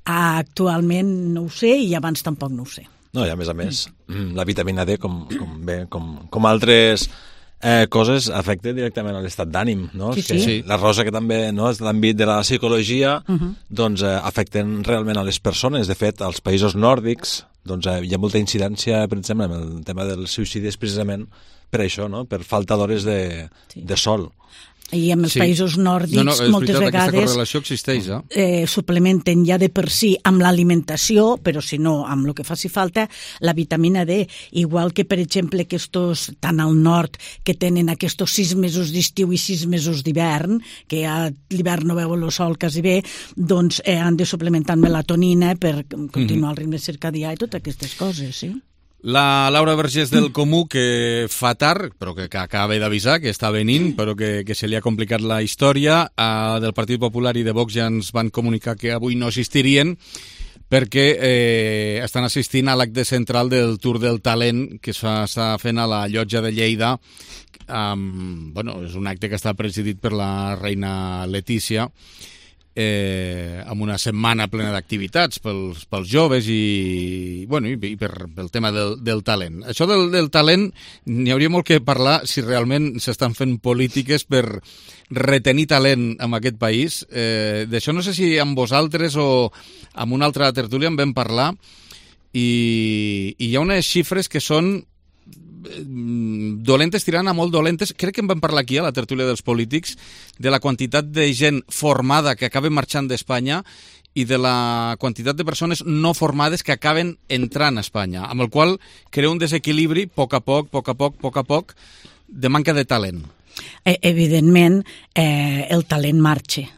Actualment no ho sé i abans tampoc no ho sé. No, i a més, la vitamina D, com altres coses, afecta directament a l'estat d'ànim, no? Sí. La Rosa, que també és l'àmbit de la psicologia, doncs afecten realment a les persones. De fet, als països nòrdics doncs hi ha molta incidència, per exemple, en el tema del suïcidi, precisament per això, no? Per falta d'hores de sol. I en els països nòrdics moltes vegades aquesta correlació existeix, suplementen ja de per si amb l'alimentació, però si no, amb el que faci falta, la vitamina D. Igual que, per exemple, aquests, tant al nord, que tenen aquests 6 mesos d'estiu i 6 mesos d'hivern, que a l'hivern no veuen el sol quasi bé, doncs han de suplementar melatonina per continuar el ritme circadià i totes aquestes coses, sí. La Laura Vergés del Comú, que fa tard, però que acaba d'avisar que està venint, però que se li ha complicat la història, del Partit Popular i de Vox ja ens van comunicar que avui no assistirien perquè estan assistint a l'acte central del Tour del Talent que s'està fent a la Llotja de Lleida. És un acte que està presidit per la reina Letícia, amb una setmana plena d'activitats pels joves i pel tema del talent. Això del talent, n'hi hauria molt que parlar si realment s'estan fent polítiques per retenir talent en aquest país. D'això no sé si amb vosaltres o amb una altra tertúlia en vam parlar i hi ha unes xifres que són dolentes tirant a molt dolentes. Crec que en vam parlar aquí a la tertúlia dels polítics de la quantitat de gent formada que acaba marxant d'Espanya i de la quantitat de persones no formades que acaben entrant a Espanya, amb el qual crea un desequilibri a poc, de manca de talent. Evidentment, el talent marxa.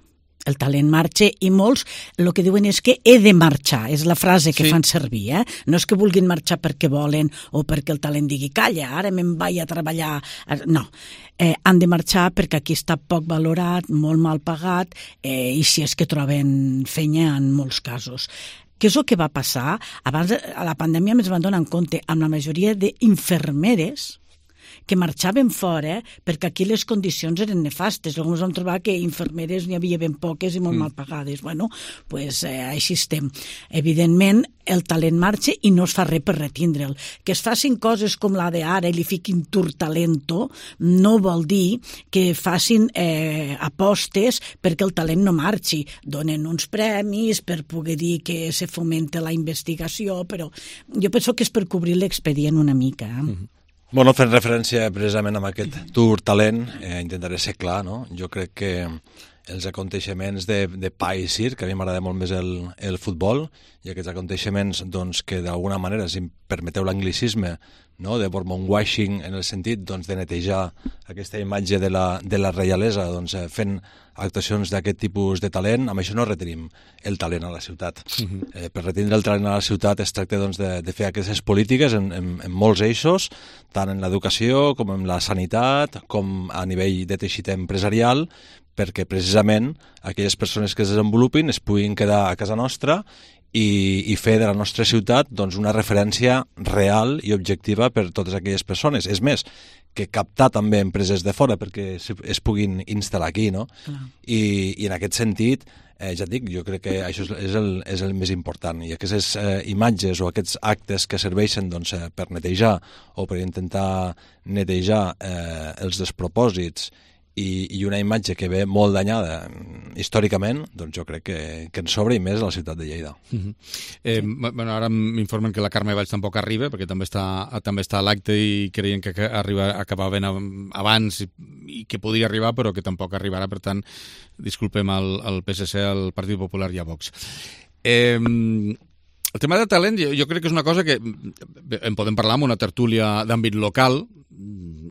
El talent marxa i molts el que diuen és que he de marxar, és la frase que fan servir, no és que vulguin marxar perquè volen o perquè el talent digui calla, ara me'n vaig a treballar, no, han de marxar perquè aquí està poc valorat, molt mal pagat i si és que troben feina en molts casos. Què és el que va passar? Abans a la pandèmia ens van donar en compte amb la majoria d'infermeres que marxaven fora perquè aquí les condicions eren nefastes. Llavors vam trobar que infermeres n'hi havia ben poques i molt mal pagades. Així estem. Evidentment, el talent marxa i no es fa res per retindre'l. Que es facin coses com la d'ara i li fiquin Tour Talento no vol dir que facin apostes perquè el talent no marxi. Donen uns premis per poder dir que se fomenta la investigació, però jo penso que és per cobrir l'expedient una mica. Bueno, fent referència precisament a aquest Tour Talent, intentaré ser clar, no? Jo crec que els aconteixements de pa i circ, que a mi m'agrada molt més el futbol, i aquests aconteixements doncs, que d'alguna manera, si em permeteu l'anglicisme, no? De Bourbon-washing, en el sentit doncs, de netejar aquesta imatge de la reialesa, doncs, fent actuacions d'aquest tipus de talent, amb això no retenim el talent a la ciutat. Per retindre el talent a la ciutat es tracta doncs, de fer aquestes polítiques en molts eixos, tant en l'educació com en la sanitat, com a nivell de teixit empresarial, perquè precisament aquelles persones que es desenvolupin es puguin quedar a casa nostra i fer de la nostra ciutat doncs, una referència real i objectiva per totes aquelles persones. És més, que captar també empreses de fora perquè es puguin instal·lar aquí, no? I en aquest sentit, ja et dic, jo crec que això és el més important. I aquestes imatges o aquests actes que serveixen doncs, per netejar o per intentar netejar els despropòsits i una imatge que ve molt danyada històricament, doncs jo crec que ens sobra i més a la ciutat de Lleida. Bueno, ara m'informen que la Carme Valls tampoc arriba, perquè també està a l'acte i creien que acabaven abans i que podia arribar, però que tampoc arribarà, per tant, disculpem al PSC, al Partit Popular i a Vox. El tema de talent jo crec que és una cosa que en podem parlar en una tertúlia d'àmbit local,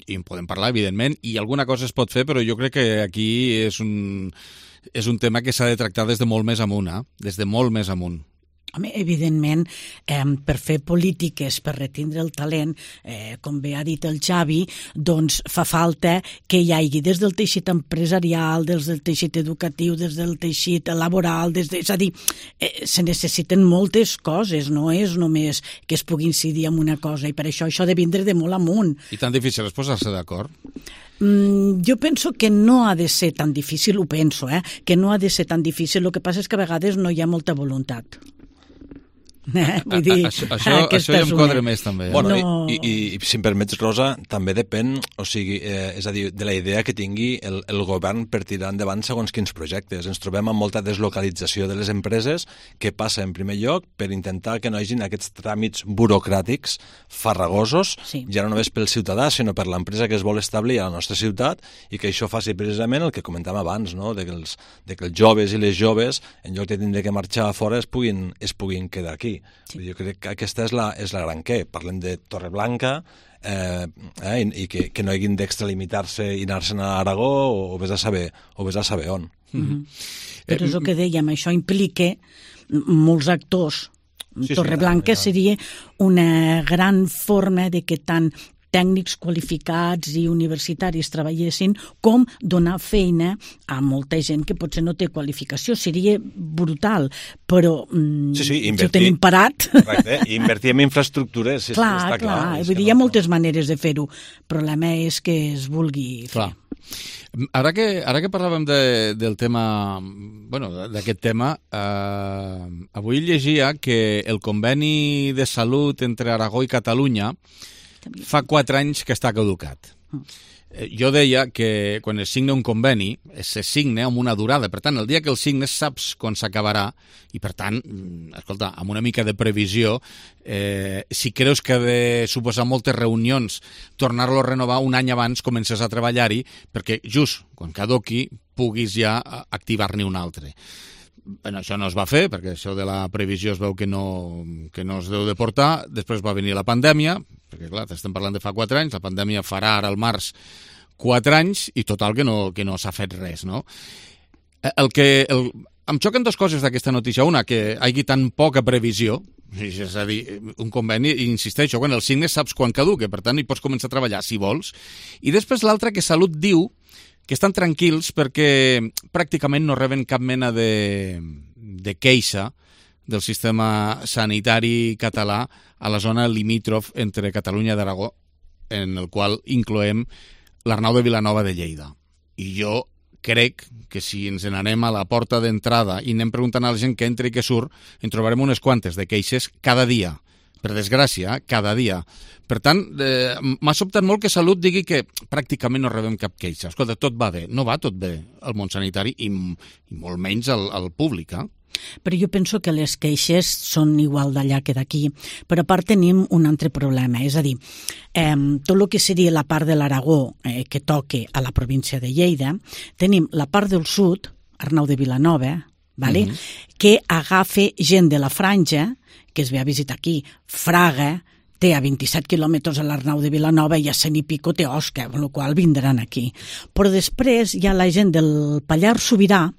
i en podem parlar, evidentment, i alguna cosa es pot fer, però jo crec que aquí és un tema que s'ha de tractar des de molt més amunt, des de molt més amunt. Home, evidentment, per fer polítiques, per retindre el talent, com bé ha dit el Xavi, doncs fa falta que hi hagi des del teixit empresarial, des del teixit educatiu, des del teixit laboral, és a dir, se necessiten moltes coses, no és només que es pugui incidir en una cosa, i per això ha de vindre de molt amunt. I tan difícil és posar-se d'acord? Jo penso que no ha de ser tan difícil, ho penso, que no ha de ser tan difícil, el que passa és que a vegades no hi ha molta voluntat. Vull dir, això ja em quadra més també. Bueno, i si em permets, Rosa, també depèn, o sigui, és a dir, de la idea que tingui el govern per tirar endavant segons quins projectes. Ens trobem amb molta deslocalització de les empreses que passa en primer lloc per intentar que no hi hagin aquests tràmits burocràtics farragosos, ja no només pel ciutadà, sinó per l'empresa que es vol establir a la nostra ciutat, i que això faci precisament el que comentàvem abans, no? de que els joves i les joves, en lloc de tindre que marxar a fora, es puguin quedar aquí. Sí. Jo crec que aquesta és la gran què. Parlem de Torreblanca i que no hagin d'extralimitar-se i anar-se'n a Aragó o vés a saber on. Però és el que dèiem, això implica molts actors. Torreblanca seria una gran forma de que tant tècnics qualificats i universitaris treballessin, com donar feina a molta gent que potser no té qualificació. Seria brutal, però si ho tenim parat... Correcte, invertir en infraestructures, està clar. Vull dir, hi ha moltes maneres de fer-ho. El problema és que es vulgui fer. Clar. Ara que parlàvem del tema, bueno, d'aquest tema, avui llegia que el conveni de salut entre Aragó i Catalunya fa 4 anys que està caducat. Jo deia que quan es signa un conveni, se signa amb una durada. Per tant, el dia que el signes saps quan s'acabarà i, per tant, escolta, amb una mica de previsió, si creus que ha de suposar moltes reunions, tornar-lo a renovar un any abans, comences a treballar-hi, perquè just quan caduqui puguis ja activar-ne un altre. Bueno, això no es va fer, perquè això de la previsió es veu que no es deu de portar. Després va venir la pandèmia, perquè clar, estem parlant de fa 4 anys, la pandèmia farà ara al març 4 anys i total que no s'ha fet res, no? Em xoquen 2 coses d'aquesta notícia. Una, que hi hagi tan poca previsió, és a dir, un conveni, insisteixo, quan el signes saps quan caduca, per tant hi pots començar a treballar si vols. I després l'altra, que Salut diu que estan tranquils perquè pràcticament no reben cap mena de queixa del sistema sanitari català a la zona limítrof entre Catalunya i Aragó, en el qual incloem l'Arnau de Vilanova de Lleida. I jo crec que si ens n'anem a la porta d'entrada i anem preguntant a la gent que entra i que surt, en trobarem unes quantes de queixes cada dia. Per desgràcia, cada dia. Per tant, m'ha sobtat molt que Salut digui que pràcticament no rebem cap queixa. Escolta, tot va bé. No va tot bé al món sanitari i molt menys al públic, Però jo penso que les queixes són igual d'allà que d'aquí. Però a part tenim un altre problema, és a dir, tot el que seria la part de l'Aragó que toque a la província de Lleida, tenim la part del sud, Arnau de Vilanova, que agafa gent de la franja, que es ve a visitar aquí, Fraga, té a 27 quilòmetres a l'Arnau de Vilanova i a 100 i pico té Osca, amb la qual vindran aquí. Però després hi ha la gent del Pallars Sobirà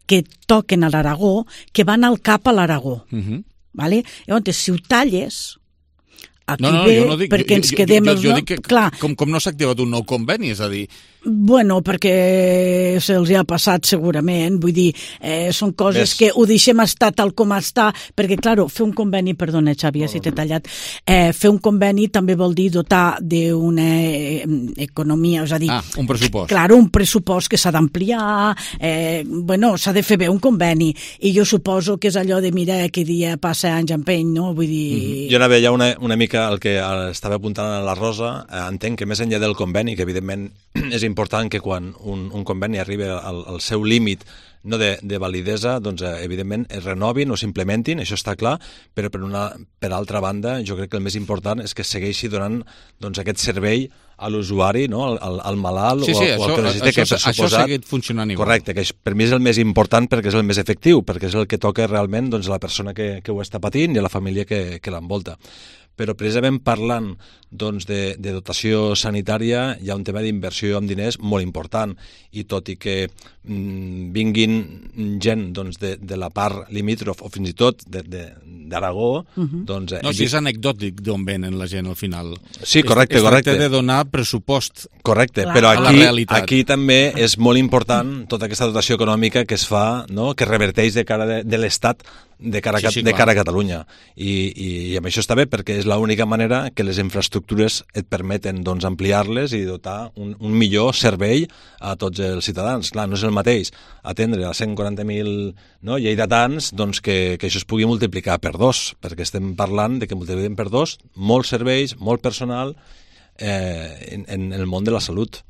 que toquen a l'Aragó, que van al cap a l'Aragó. Llavors, si ho talles, aquí ve perquè ens quedem... Jo dic que com no s'ha activat un nou conveni, és a dir... Bueno, perquè se'ls ha passat segurament, vull dir, són coses que ho deixem estar tal com està, perquè, clar, fer un conveni, perdona, Xavi, si t'he tallat, fer un conveni també vol dir dotar d'una economia, és a dir... un pressupost. Clar, un pressupost que s'ha d'ampliar, s'ha de fer bé un conveni, i jo suposo que és allò de, mira, que dia passa anys empeny, no? Vull dir... Jo anava ja una mica el que estava apuntant a la Rosa, entenc que més enllà del conveni, que evidentment és important important que quan un conveni arribi al seu límit de validesa, doncs evidentment es renovin o s'implementin, això està clar, però per altra banda jo crec que el més important és que segueixi donant aquest servei a l'usuari, al malalt o al que necessita, que per suposat... Això ha seguit funcionant igual. Correcte, que per mi és el més important perquè és el més efectiu, perquè és el que toca realment a la persona que ho està patint i a la família que l'envolta. Però precisament parlant de dotació sanitària hi ha un tema d'inversió amb diners molt important, i tot i que vinguin gent de la part limítrof o fins i tot d'Aragó... No, si és anecdòtic d'on venen la gent al final. Sí, correcte. Es tracta de donar pressupost. Correcte, però aquí també és molt important tota aquesta dotació econòmica que es fa, que reverteix de cara de l'Estat de cara a Catalunya. I amb això està bé, perquè és l'única manera que les infraestructures et permeten ampliar-les i dotar un millor servei a tots els ciutadans. Clar, no és el mateix atendre a 140.000 lleidatans que això es pugui multiplicar per 2, perquè estem parlant de que multipliquem per 2 molts serveis, molt personal en el món de la salut.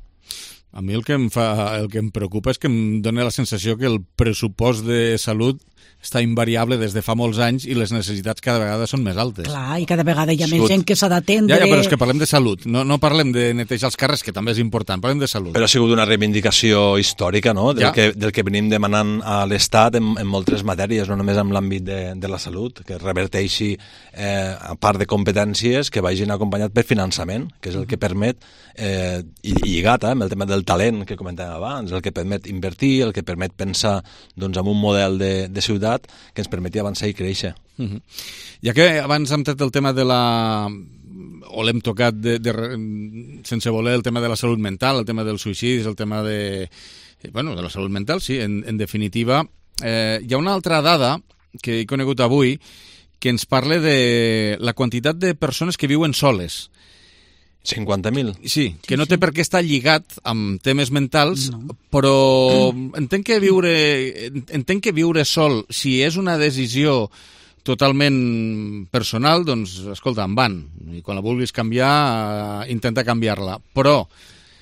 A mi el que em preocupa és que em dona la sensació que el pressupost de salut està invariable des de fa molts anys i les necessitats cada vegada són més altes. Clar, i cada vegada hi ha més gent que s'ha d'atendre... Ja, però és que parlem de salut, no parlem de netejar els carrers, que també és important, parlem de salut. Però ha sigut una reivindicació històrica, del que venim demanant a l'Estat en moltes matèries, no només en l'àmbit de la salut, que reverteixi, a part de competències, que vagin acompanyat per finançament, que és el que permet, i lligat amb el tema del talent que comentàvem abans, el que permet invertir, el que permet pensar en un model de ciutat que ens permeti avançar i créixer. Ja que abans hem tret el tema o l'hem tocat sense voler, el tema de la salut mental, el tema dels suïcidis, el tema de la salut mental, sí, en definitiva, hi ha una altra dada que he conegut avui que ens parla de la quantitat de persones que viuen soles. 50.000. Sí, que no té per què estar lligat amb temes mentals, però entenc que viure sol, si és una decisió totalment personal, doncs, escolta, en van. I quan la vulguis canviar, intenta canviar-la. Però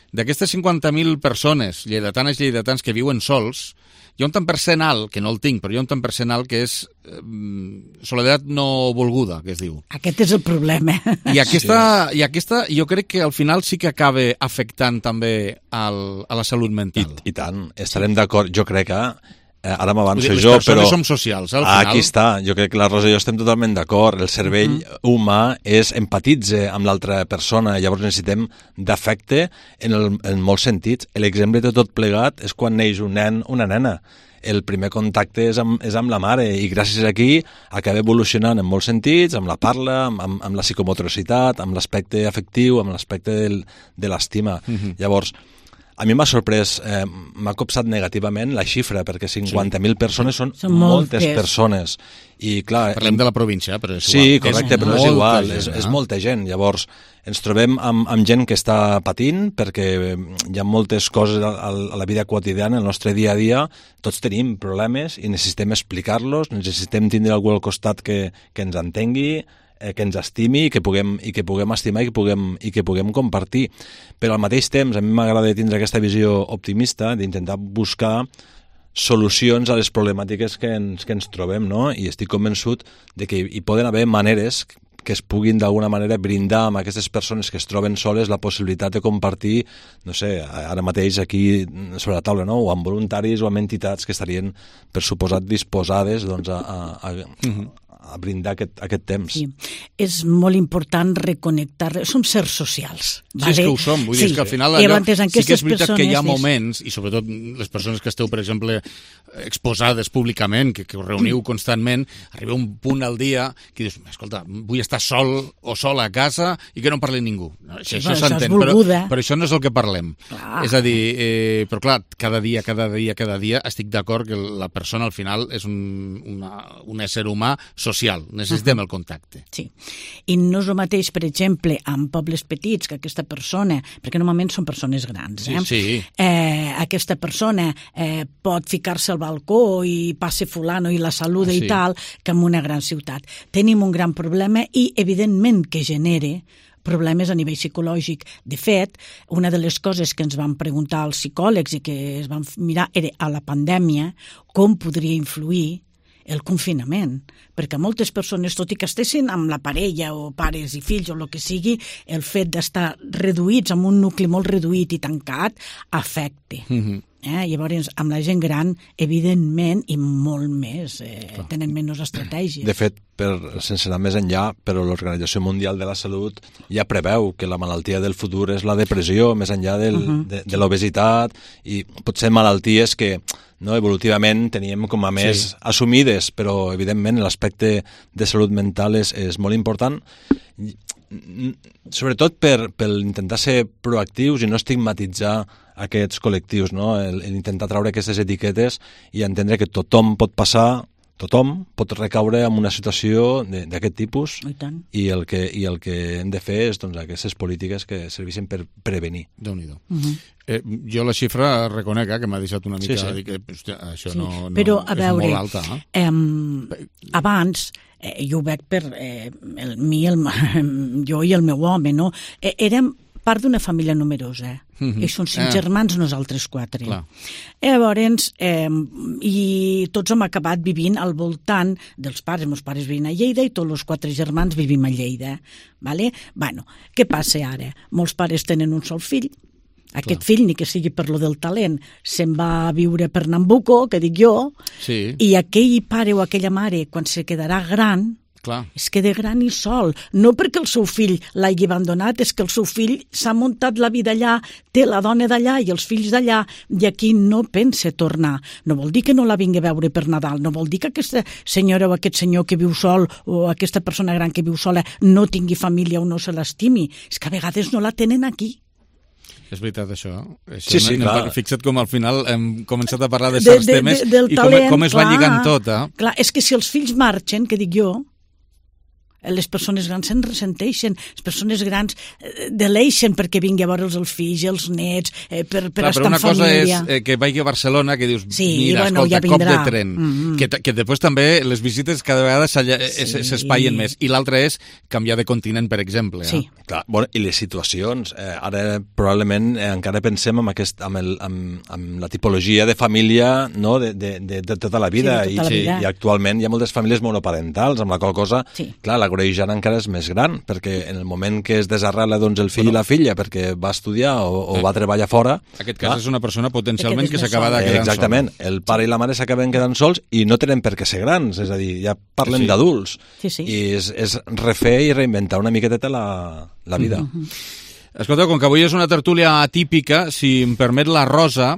d'aquestes 50.000 persones, lleidatans que viuen sols, hi ha un tant per cent alt, que no el tinc, però hi ha un tant per cent alt que és soledat no volguda, que es diu. Aquest és el problema. I aquesta jo crec que al final sí que acaba afectant també a la salut mental. I tant, estarem d'acord. Jo crec que ara m'avanço jo, però... Les persones som socials, al final. Aquí està. Jo crec que la Rosa i jo estem totalment d'acord. El cervell humà empatitza amb l'altra persona, llavors necessitem d'afecte en molts sentits. L'exemple de tot plegat és quan neix un nen o una nena. El primer contacte és amb la mare i gràcies a aquí acaba evolucionant en molts sentits, amb la parla, amb la psicomotricitat, amb l'aspecte afectiu, amb l'aspecte de l'estima. Llavors, a mi m'ha sorprès, m'ha copsat negativament la xifra, perquè 50.000 persones són moltes persones. I, clar, parlem de la província, però és igual. Sí, correcte, però és igual, és molta gent. Llavors, ens trobem amb gent que està patint, perquè hi ha moltes coses a la vida quotidiana, el nostre dia a dia, tots tenim problemes i necessitem explicar-los, necessitem tindre algú al costat que ens entengui, que ens estimi i que puguem estimar i que puguem compartir. Però al mateix temps a mi m'agrada tindre aquesta visió optimista d'intentar buscar solucions a les problemàtiques que ens trobem, no? I estic convençut de que hi poden haver maneres que es puguin d'alguna manera brindar a aquestes persones que es troben soles la possibilitat de compartir, no sé, ara mateix aquí sobre la taula, no? O amb voluntaris o amb entitats que estarien, per suposat, disposades a brindar aquest temps. Sí. És molt important reconnectar. Som sers socials. Sí, és que ho som. Vull dir que al final allò, sí que és veritat que hi ha moments, i sobretot les persones que esteu, per exemple, exposades públicament, que us reuniu constantment, arriba un punt al dia que dius, escolta, vull estar sol o sola a casa i que no em parli ningú. Sí, això s'entén, però això no és el que parlem. És a dir, però clar, cada dia estic d'acord que la persona al final és un ésser humà social, necessitem el contacte. Sí, i no és el mateix, per exemple, amb pobles petits, que aquesta persona, perquè normalment són persones grans, aquesta persona pot ficar-se al balcó i passe fulano i la saluda i tal, que en una gran ciutat. Tenim un gran problema i, evidentment, que genera problemes a nivell psicològic. De fet, una de les coses que ens van preguntar els psicòlegs i que es van mirar era a la pandèmia com podria influir el confinament, perquè moltes persones, tot i que estessin amb la parella o pares i fills o el que sigui, el fet d'estar reduïts amb un nucli molt reduït i tancat afecta. Llavors, amb la gent gran, evidentment, i molt més, tenen menys estratègies. De fet, sense anar més enllà, però l'Organització Mundial de la Salut ja preveu que la malaltia del futur és la depressió, més enllà de l'obesitat, i potser malalties que evolutivament teníem com a més assumides, però evidentment l'aspecte de salut mental és molt important, sobretot per intentar ser proactius i no estigmatitzar aquests col·lectius, intentar treure aquestes etiquetes i entendre que tothom pot passar, tothom pot recaure en una situació d'aquest tipus i el que hem de fer és aquestes polítiques que serveixen per prevenir. Déu-n'hi-do. Jo la xifra reconec que m'ha deixat una mica dir que això no però, a veure, és molt alta. Abans, jo ho veig per jo i el meu home, no? Érem part d'una família numerosa, i són 5 germans, nosaltres 4. Llavors, i tots hem acabat vivint al voltant dels pares. Meus pares vivien a Lleida i tots els 4 germans vivim a Lleida. Bueno, què passa ara? Molts pares tenen un sol fill. Aquest fill, ni que sigui per lo del talent, se'n va a viure per Nambucco, que dic jo, i aquell pare o aquella mare, quan se quedarà gran, es queda gran i sol. No perquè el seu fill l'hagi abandonat, és que el seu fill s'ha muntat la vida allà, té la dona d'allà i els fills d'allà, i aquí no pensa tornar. No vol dir que no la vingui a veure per Nadal, no vol dir que aquesta senyora o aquest senyor que viu sol o aquesta persona gran que viu sola no tingui família o no se l'estimi. És que a vegades no la tenen aquí. És veritat, això. Sí, clar. Fixa't com al final hem començat a parlar de certs temes i com es va lligant tot. Clar, és que si els fills marxen, que dic jo, les persones grans se'n ressenteixen, les persones grans deleixen perquè vingui a veure'ls els fills, els nets, per estar en família. Però una cosa és que vagi a Barcelona, que dius, mira, escolta, cop de tren, que després també les visites cada vegada s'espaien més, i l'altre és canviar de continent, per exemple. Sí. Clar, i les situacions, ara probablement encara pensem amb la tipologia de família de tota la vida, i actualment hi ha moltes famílies monoparentals, amb la qual cosa, clar, la greugeant encara és més gran, perquè en el moment que es desarrela el fill i la filla perquè va estudiar o va treballar fora... En aquest cas és una persona potencialment que s'acaba de quedar sola. Exactament, el pare i la mare s'acaben quedant sols i no tenen per què ser grans, és a dir, ja parlem d'adults. I és refer i reinventar una miqueteta la vida. Escolta, com que avui és una tertúlia atípica, si em permet la Rosa,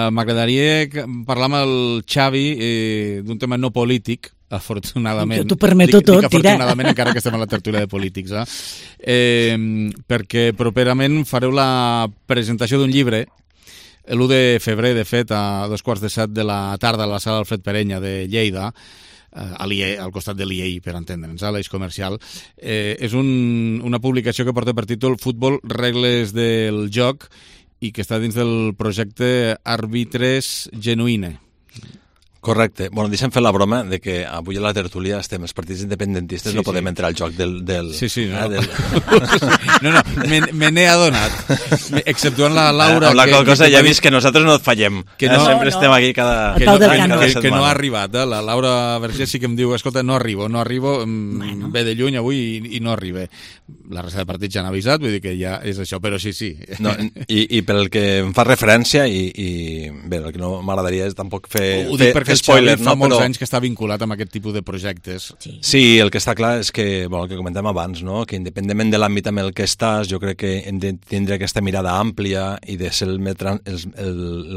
m'agradaria parlar amb el Xavi d'un tema no polític, afortunadament. T'ho permeto tot, afortunadament, encara que estem a la tertúlia de polítics, perquè properament fareu la presentació d'un llibre, l'1 de febrer, de fet, a 2:15 de la tarda a la sala Alfred Perenya de Lleida, al costat de l'IEI, per entendre'ns, a l'eix comercial. És una publicació que porta per títol Futbol, regles del joc, i que està dins del projecte Arbitres Genuïne. Correcte. Bueno, deixa'm fer la broma de que avui a la tertúlia estem els partits independentistes, no podem entrar al joc del... Sí, no. No, me n'he adonat. Exceptuant la Laura... Amb la qual cosa ja he vist que nosaltres no et fallem. Sempre estem aquí cada setmana. Que no ha arribat. La Laura Vergés sí que em diu, escolta, no arribo, ve de lluny avui i no arriba. La resta de partits ja han avisat, vull dir que ja és això, però sí. I pel que em fa referència, i bé, el que no m'agradaria és tampoc fer... Spoiler, fa molts anys que està vinculat amb aquest tipus de projectes. Sí, el que està clar és que, el que comentem abans, que independentment de l'àmbit amb el que estàs, jo crec que hem de tindre aquesta mirada àmplia i de ser el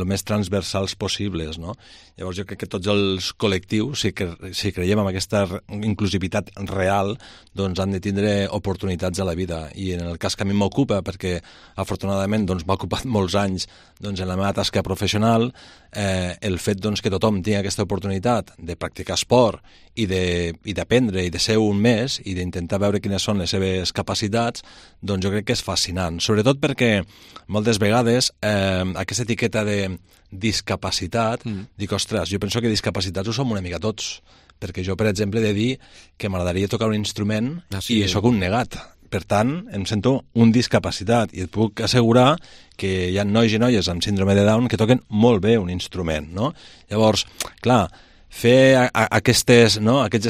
més transversals possibles, no? Llavors jo crec que tots els col·lectius, si creiem en aquesta inclusivitat real, doncs han de tindre oportunitats a la vida. I en el cas que a mi m'ocupa, perquè afortunadament m'ha ocupat molts anys en la meva tasca professional, el fet que tothom tingui aquesta oportunitat de practicar esport i d'aprendre i de ser un més i d'intentar veure quines són les seves capacitats, doncs jo crec que és fascinant. Sobretot perquè moltes vegades aquesta etiqueta de discapacitat, dic, ostres, jo penso que discapacitats ho som una mica tots, perquè jo, per exemple, he de dir que m'agradaria tocar un instrument i sóc un negat. Per tant, em sento un discapacitat i et puc assegurar que hi ha nois i noies amb síndrome de Down que toquen molt bé un instrument, no? Llavors, clar, fer aquests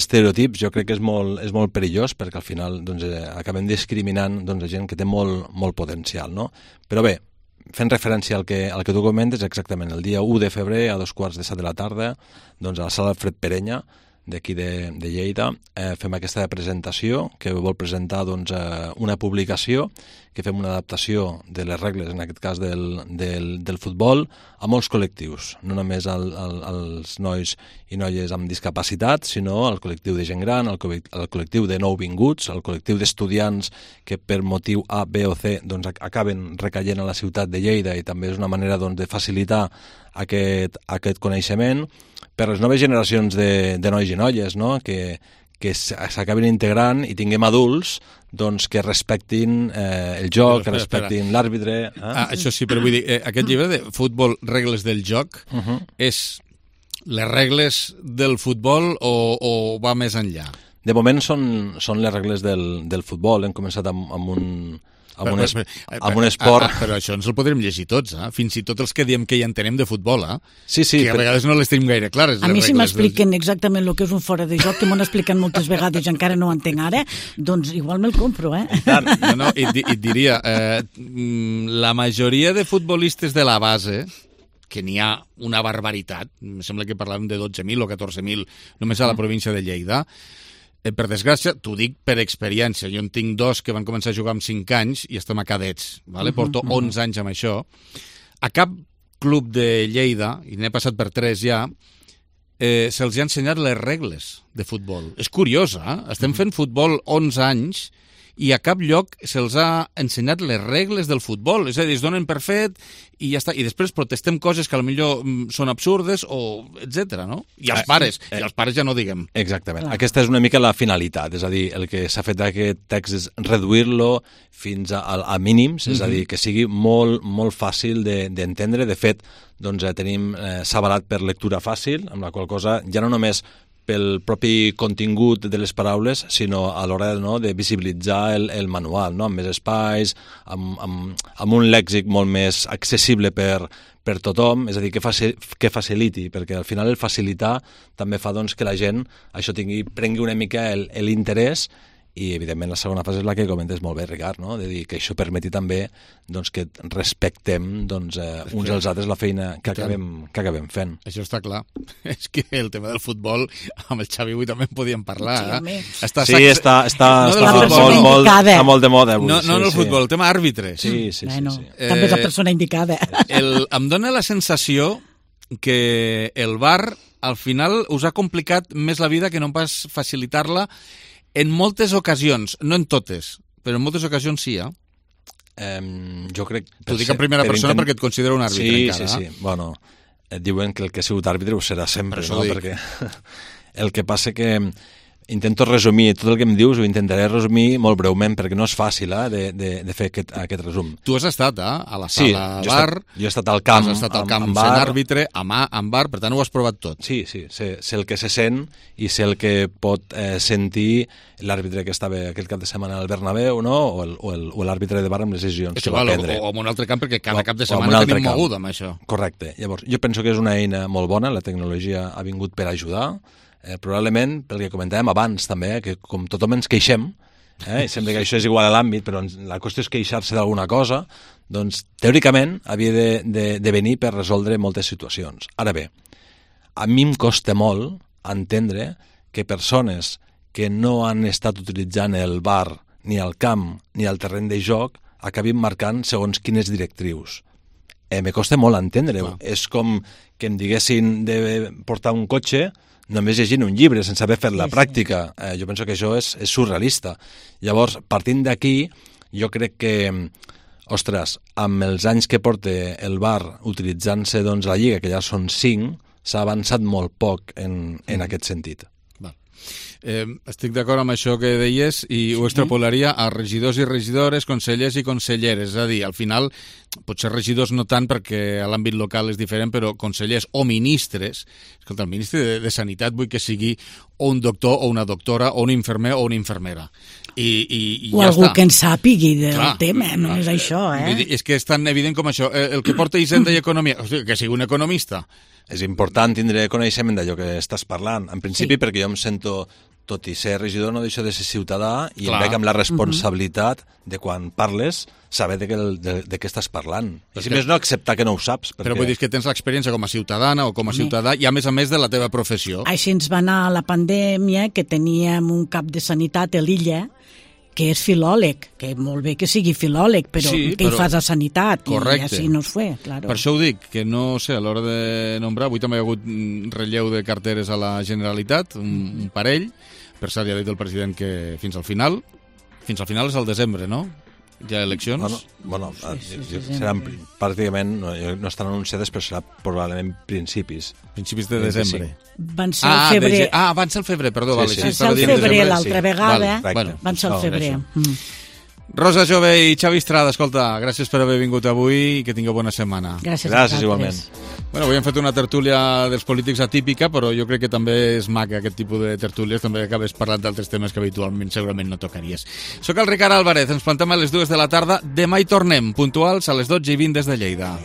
estereotips jo crec que és molt perillós perquè al final doncs, acabem discriminant doncs, gent que té molt potencial, no? Però bé, fent referència al que tu comentes, exactament, el dia 1 de febrer a 2:15 de la tarda, doncs a la sala Alfred Perenya, d'aquí de Lleida, fem aquesta presentació que vol presentar doncs, una publicació que fem una adaptació de les regles, en aquest cas del futbol, a molts col·lectius, no només als nois i noies amb discapacitat, sinó al col·lectiu de gent gran, al col·lectiu de nouvinguts, al col·lectiu d'estudiants que per motiu A, B o C doncs, acaben recaient a la ciutat de Lleida i també és una manera doncs, de facilitar aquest coneixement per les noves generacions de nois i noies, no? que s'acabin integrant i tinguem adults doncs, que respectin el joc, que respectin l'àrbitre. Això sí, però vull dir, aquest llibre de Futbol, regles del joc, és les regles del futbol o va més enllà? De moment són les regles del futbol. Hem començat amb un esport... Però això ens el podrem llegir tots, fins i tot els que diem que ja entenem de futbol, Sí, que a vegades no les tenim gaire clares. A mi si m'expliquen exactament el que és un fora de joc, que m'ho han explicat moltes vegades i encara no ho entenc ara, doncs igual me'l compro, No, i et diria, la majoria de futbolistes de la base, que n'hi ha una barbaritat, em sembla que parlàvem de 12.000 o 14.000 només a la província de Lleida, per desgràcia, t'ho dic per experiència. Jo en tinc 2 que van començar a jugar amb 5 anys i estem a cadets. Porto 11 anys amb això. A cap club de Lleida, i n'he passat per 3 ja, se'ls ha ensenyat les regles de futbol. És curiós, Estem fent futbol 11 anys i a cap lloc se'ls ha ensenyat les regles del futbol. És a dir, es donen per fet i ja està. I després protestem coses que potser són absurdes o etc. no? I els pares ja no diguem. Exactament. Aquesta és una mica la finalitat. És a dir, el que s'ha fet d'aquest text és reduir-lo fins a mínims, és a dir, que sigui molt fàcil d'entendre. De fet, doncs, tenim s'ha avalat per lectura fàcil, amb la qual cosa ja no només pel propi contingut de les paraules, sinó a l'hora de visibilitzar el manual, no? Amb més espais, amb un lèxic molt més accessible per tothom, és a dir, que faciliti, perquè al final el facilitar també fa doncs, que la gent prengui una mica l'interès i, evidentment, la segona fase és la que comentes molt bé, Ricard, no? De dir que això permeti també doncs, que respectem doncs, uns als altres la feina que acabem fent. Això està clar. És que el tema del futbol, amb el Xavi avui també en podíem parlar. Està molt de moda avui. No el futbol, el tema àrbitre. Sí. També és la persona indicada. Em dóna la sensació que el VAR al final us ha complicat més la vida que no pas facilitar-la en moltes ocasions, no en totes, però en moltes ocasions sí, jo crec... T'ho dic en primera persona perquè et considero un àrbitre encara. Sí. Bueno, et diuen que el que ha sigut àrbitre ho serà sempre, no? Perquè el que passa que intento resumir, tot el que em dius ho intentaré resumir molt breument perquè no és fàcil de fer aquest resum. Tu has estat a la sala VAR, jo he estat al camp, sent àrbitre, amb VAR, per tant ho has provat tot. Sí, sé el que se sent i sé el que pot sentir l'àrbitre que estava aquell cap de setmana al Bernabéu, no? o l'àrbitre de VAR amb les decisions que va prendre. O en un altre camp, perquè cada cap de setmana tenim mogut amb això. Correcte. Llavors, jo penso que és una eina molt bona, la tecnologia ha vingut per ajudar, probablement, pel que comentàvem abans també, que com tothom ens queixem, sempre que això és igual a l'àmbit, però la qüestió és queixar-se d'alguna cosa, doncs teòricament havia de venir per resoldre moltes situacions. Ara bé, a mi em costa molt entendre que persones que no han estat utilitzant el VAR ni al camp ni al terreny de joc acabin marcant segons quines directrius. Me costa molt entendre-ho. És com que em diguessin de portar un cotxe només llegint un llibre, sense haver fet la pràctica. Jo penso que això és surrealista. Llavors, partint d'aquí, jo crec que, ostres, amb els anys que porta el VAR utilitzant-se doncs, la Lliga, que ja són 5, s'ha avançat molt poc en aquest sentit. Estic d'acord amb això que deies i ho extrapolaria a regidors i regidores, consellers i conselleres. És a dir, al final, potser regidors no tant perquè a l'àmbit local és diferent, però consellers o ministres, escolta, el ministre de Sanitat vull que sigui o un doctor o una doctora o un infermer o una infermera. I o ja algú està. que en sàpigui del tema, no és això, És que és tan evident com això. El que porta Hisenda i Economia, hosti, que sigui un economista. És important tindre coneixement d'allò que estàs parlant. En principi, perquè jo em sento, tot i ser regidor, no deixo de ser ciutadà i em veig amb la responsabilitat de quan parles saber de què estàs parlant. I si més no, acceptar que no ho saps. Però vull dir que tens l'experiència com a ciutadana o com a ciutadà i a més de la teva professió. Així ens va anar la pandèmia, que teníem un cap de sanitat a l'illa que és filòleg, que molt bé que sigui filòleg, però Sí, què hi fas a sanitat? Correcte. I així no es fue, claro. Per això ho dic, que no sé, a l'hora de nombrar, avui també hi ha hagut relleu de carteres a la Generalitat, un parell, per cert, ja ha dit el president que fins al final és al desembre, no? Hi ha eleccions? Bueno, seran pràcticament, no estan anunciades, però serà probablement principis. Principis de desembre. Van ser al febrer. Van ser al febrer, perdó. Van ser al febrer l'altra vegada, van ser al febrer. Rosa Jove i Xavi Estrada, escolta, gràcies per haver vingut avui i que tingueu bona setmana. Gràcies igualment. Bueno, avui hem fet una tertúlia dels polítics atípica, però jo crec que també és maca aquest tipus de tertúlies, també acabes parlant d'altres temes que habitualment segurament no tocaries. Soc el Ricard Álvarez, ens plantem a les 2 de la tarda, demà hi tornem, puntuals a les 12:20 des de Lleida.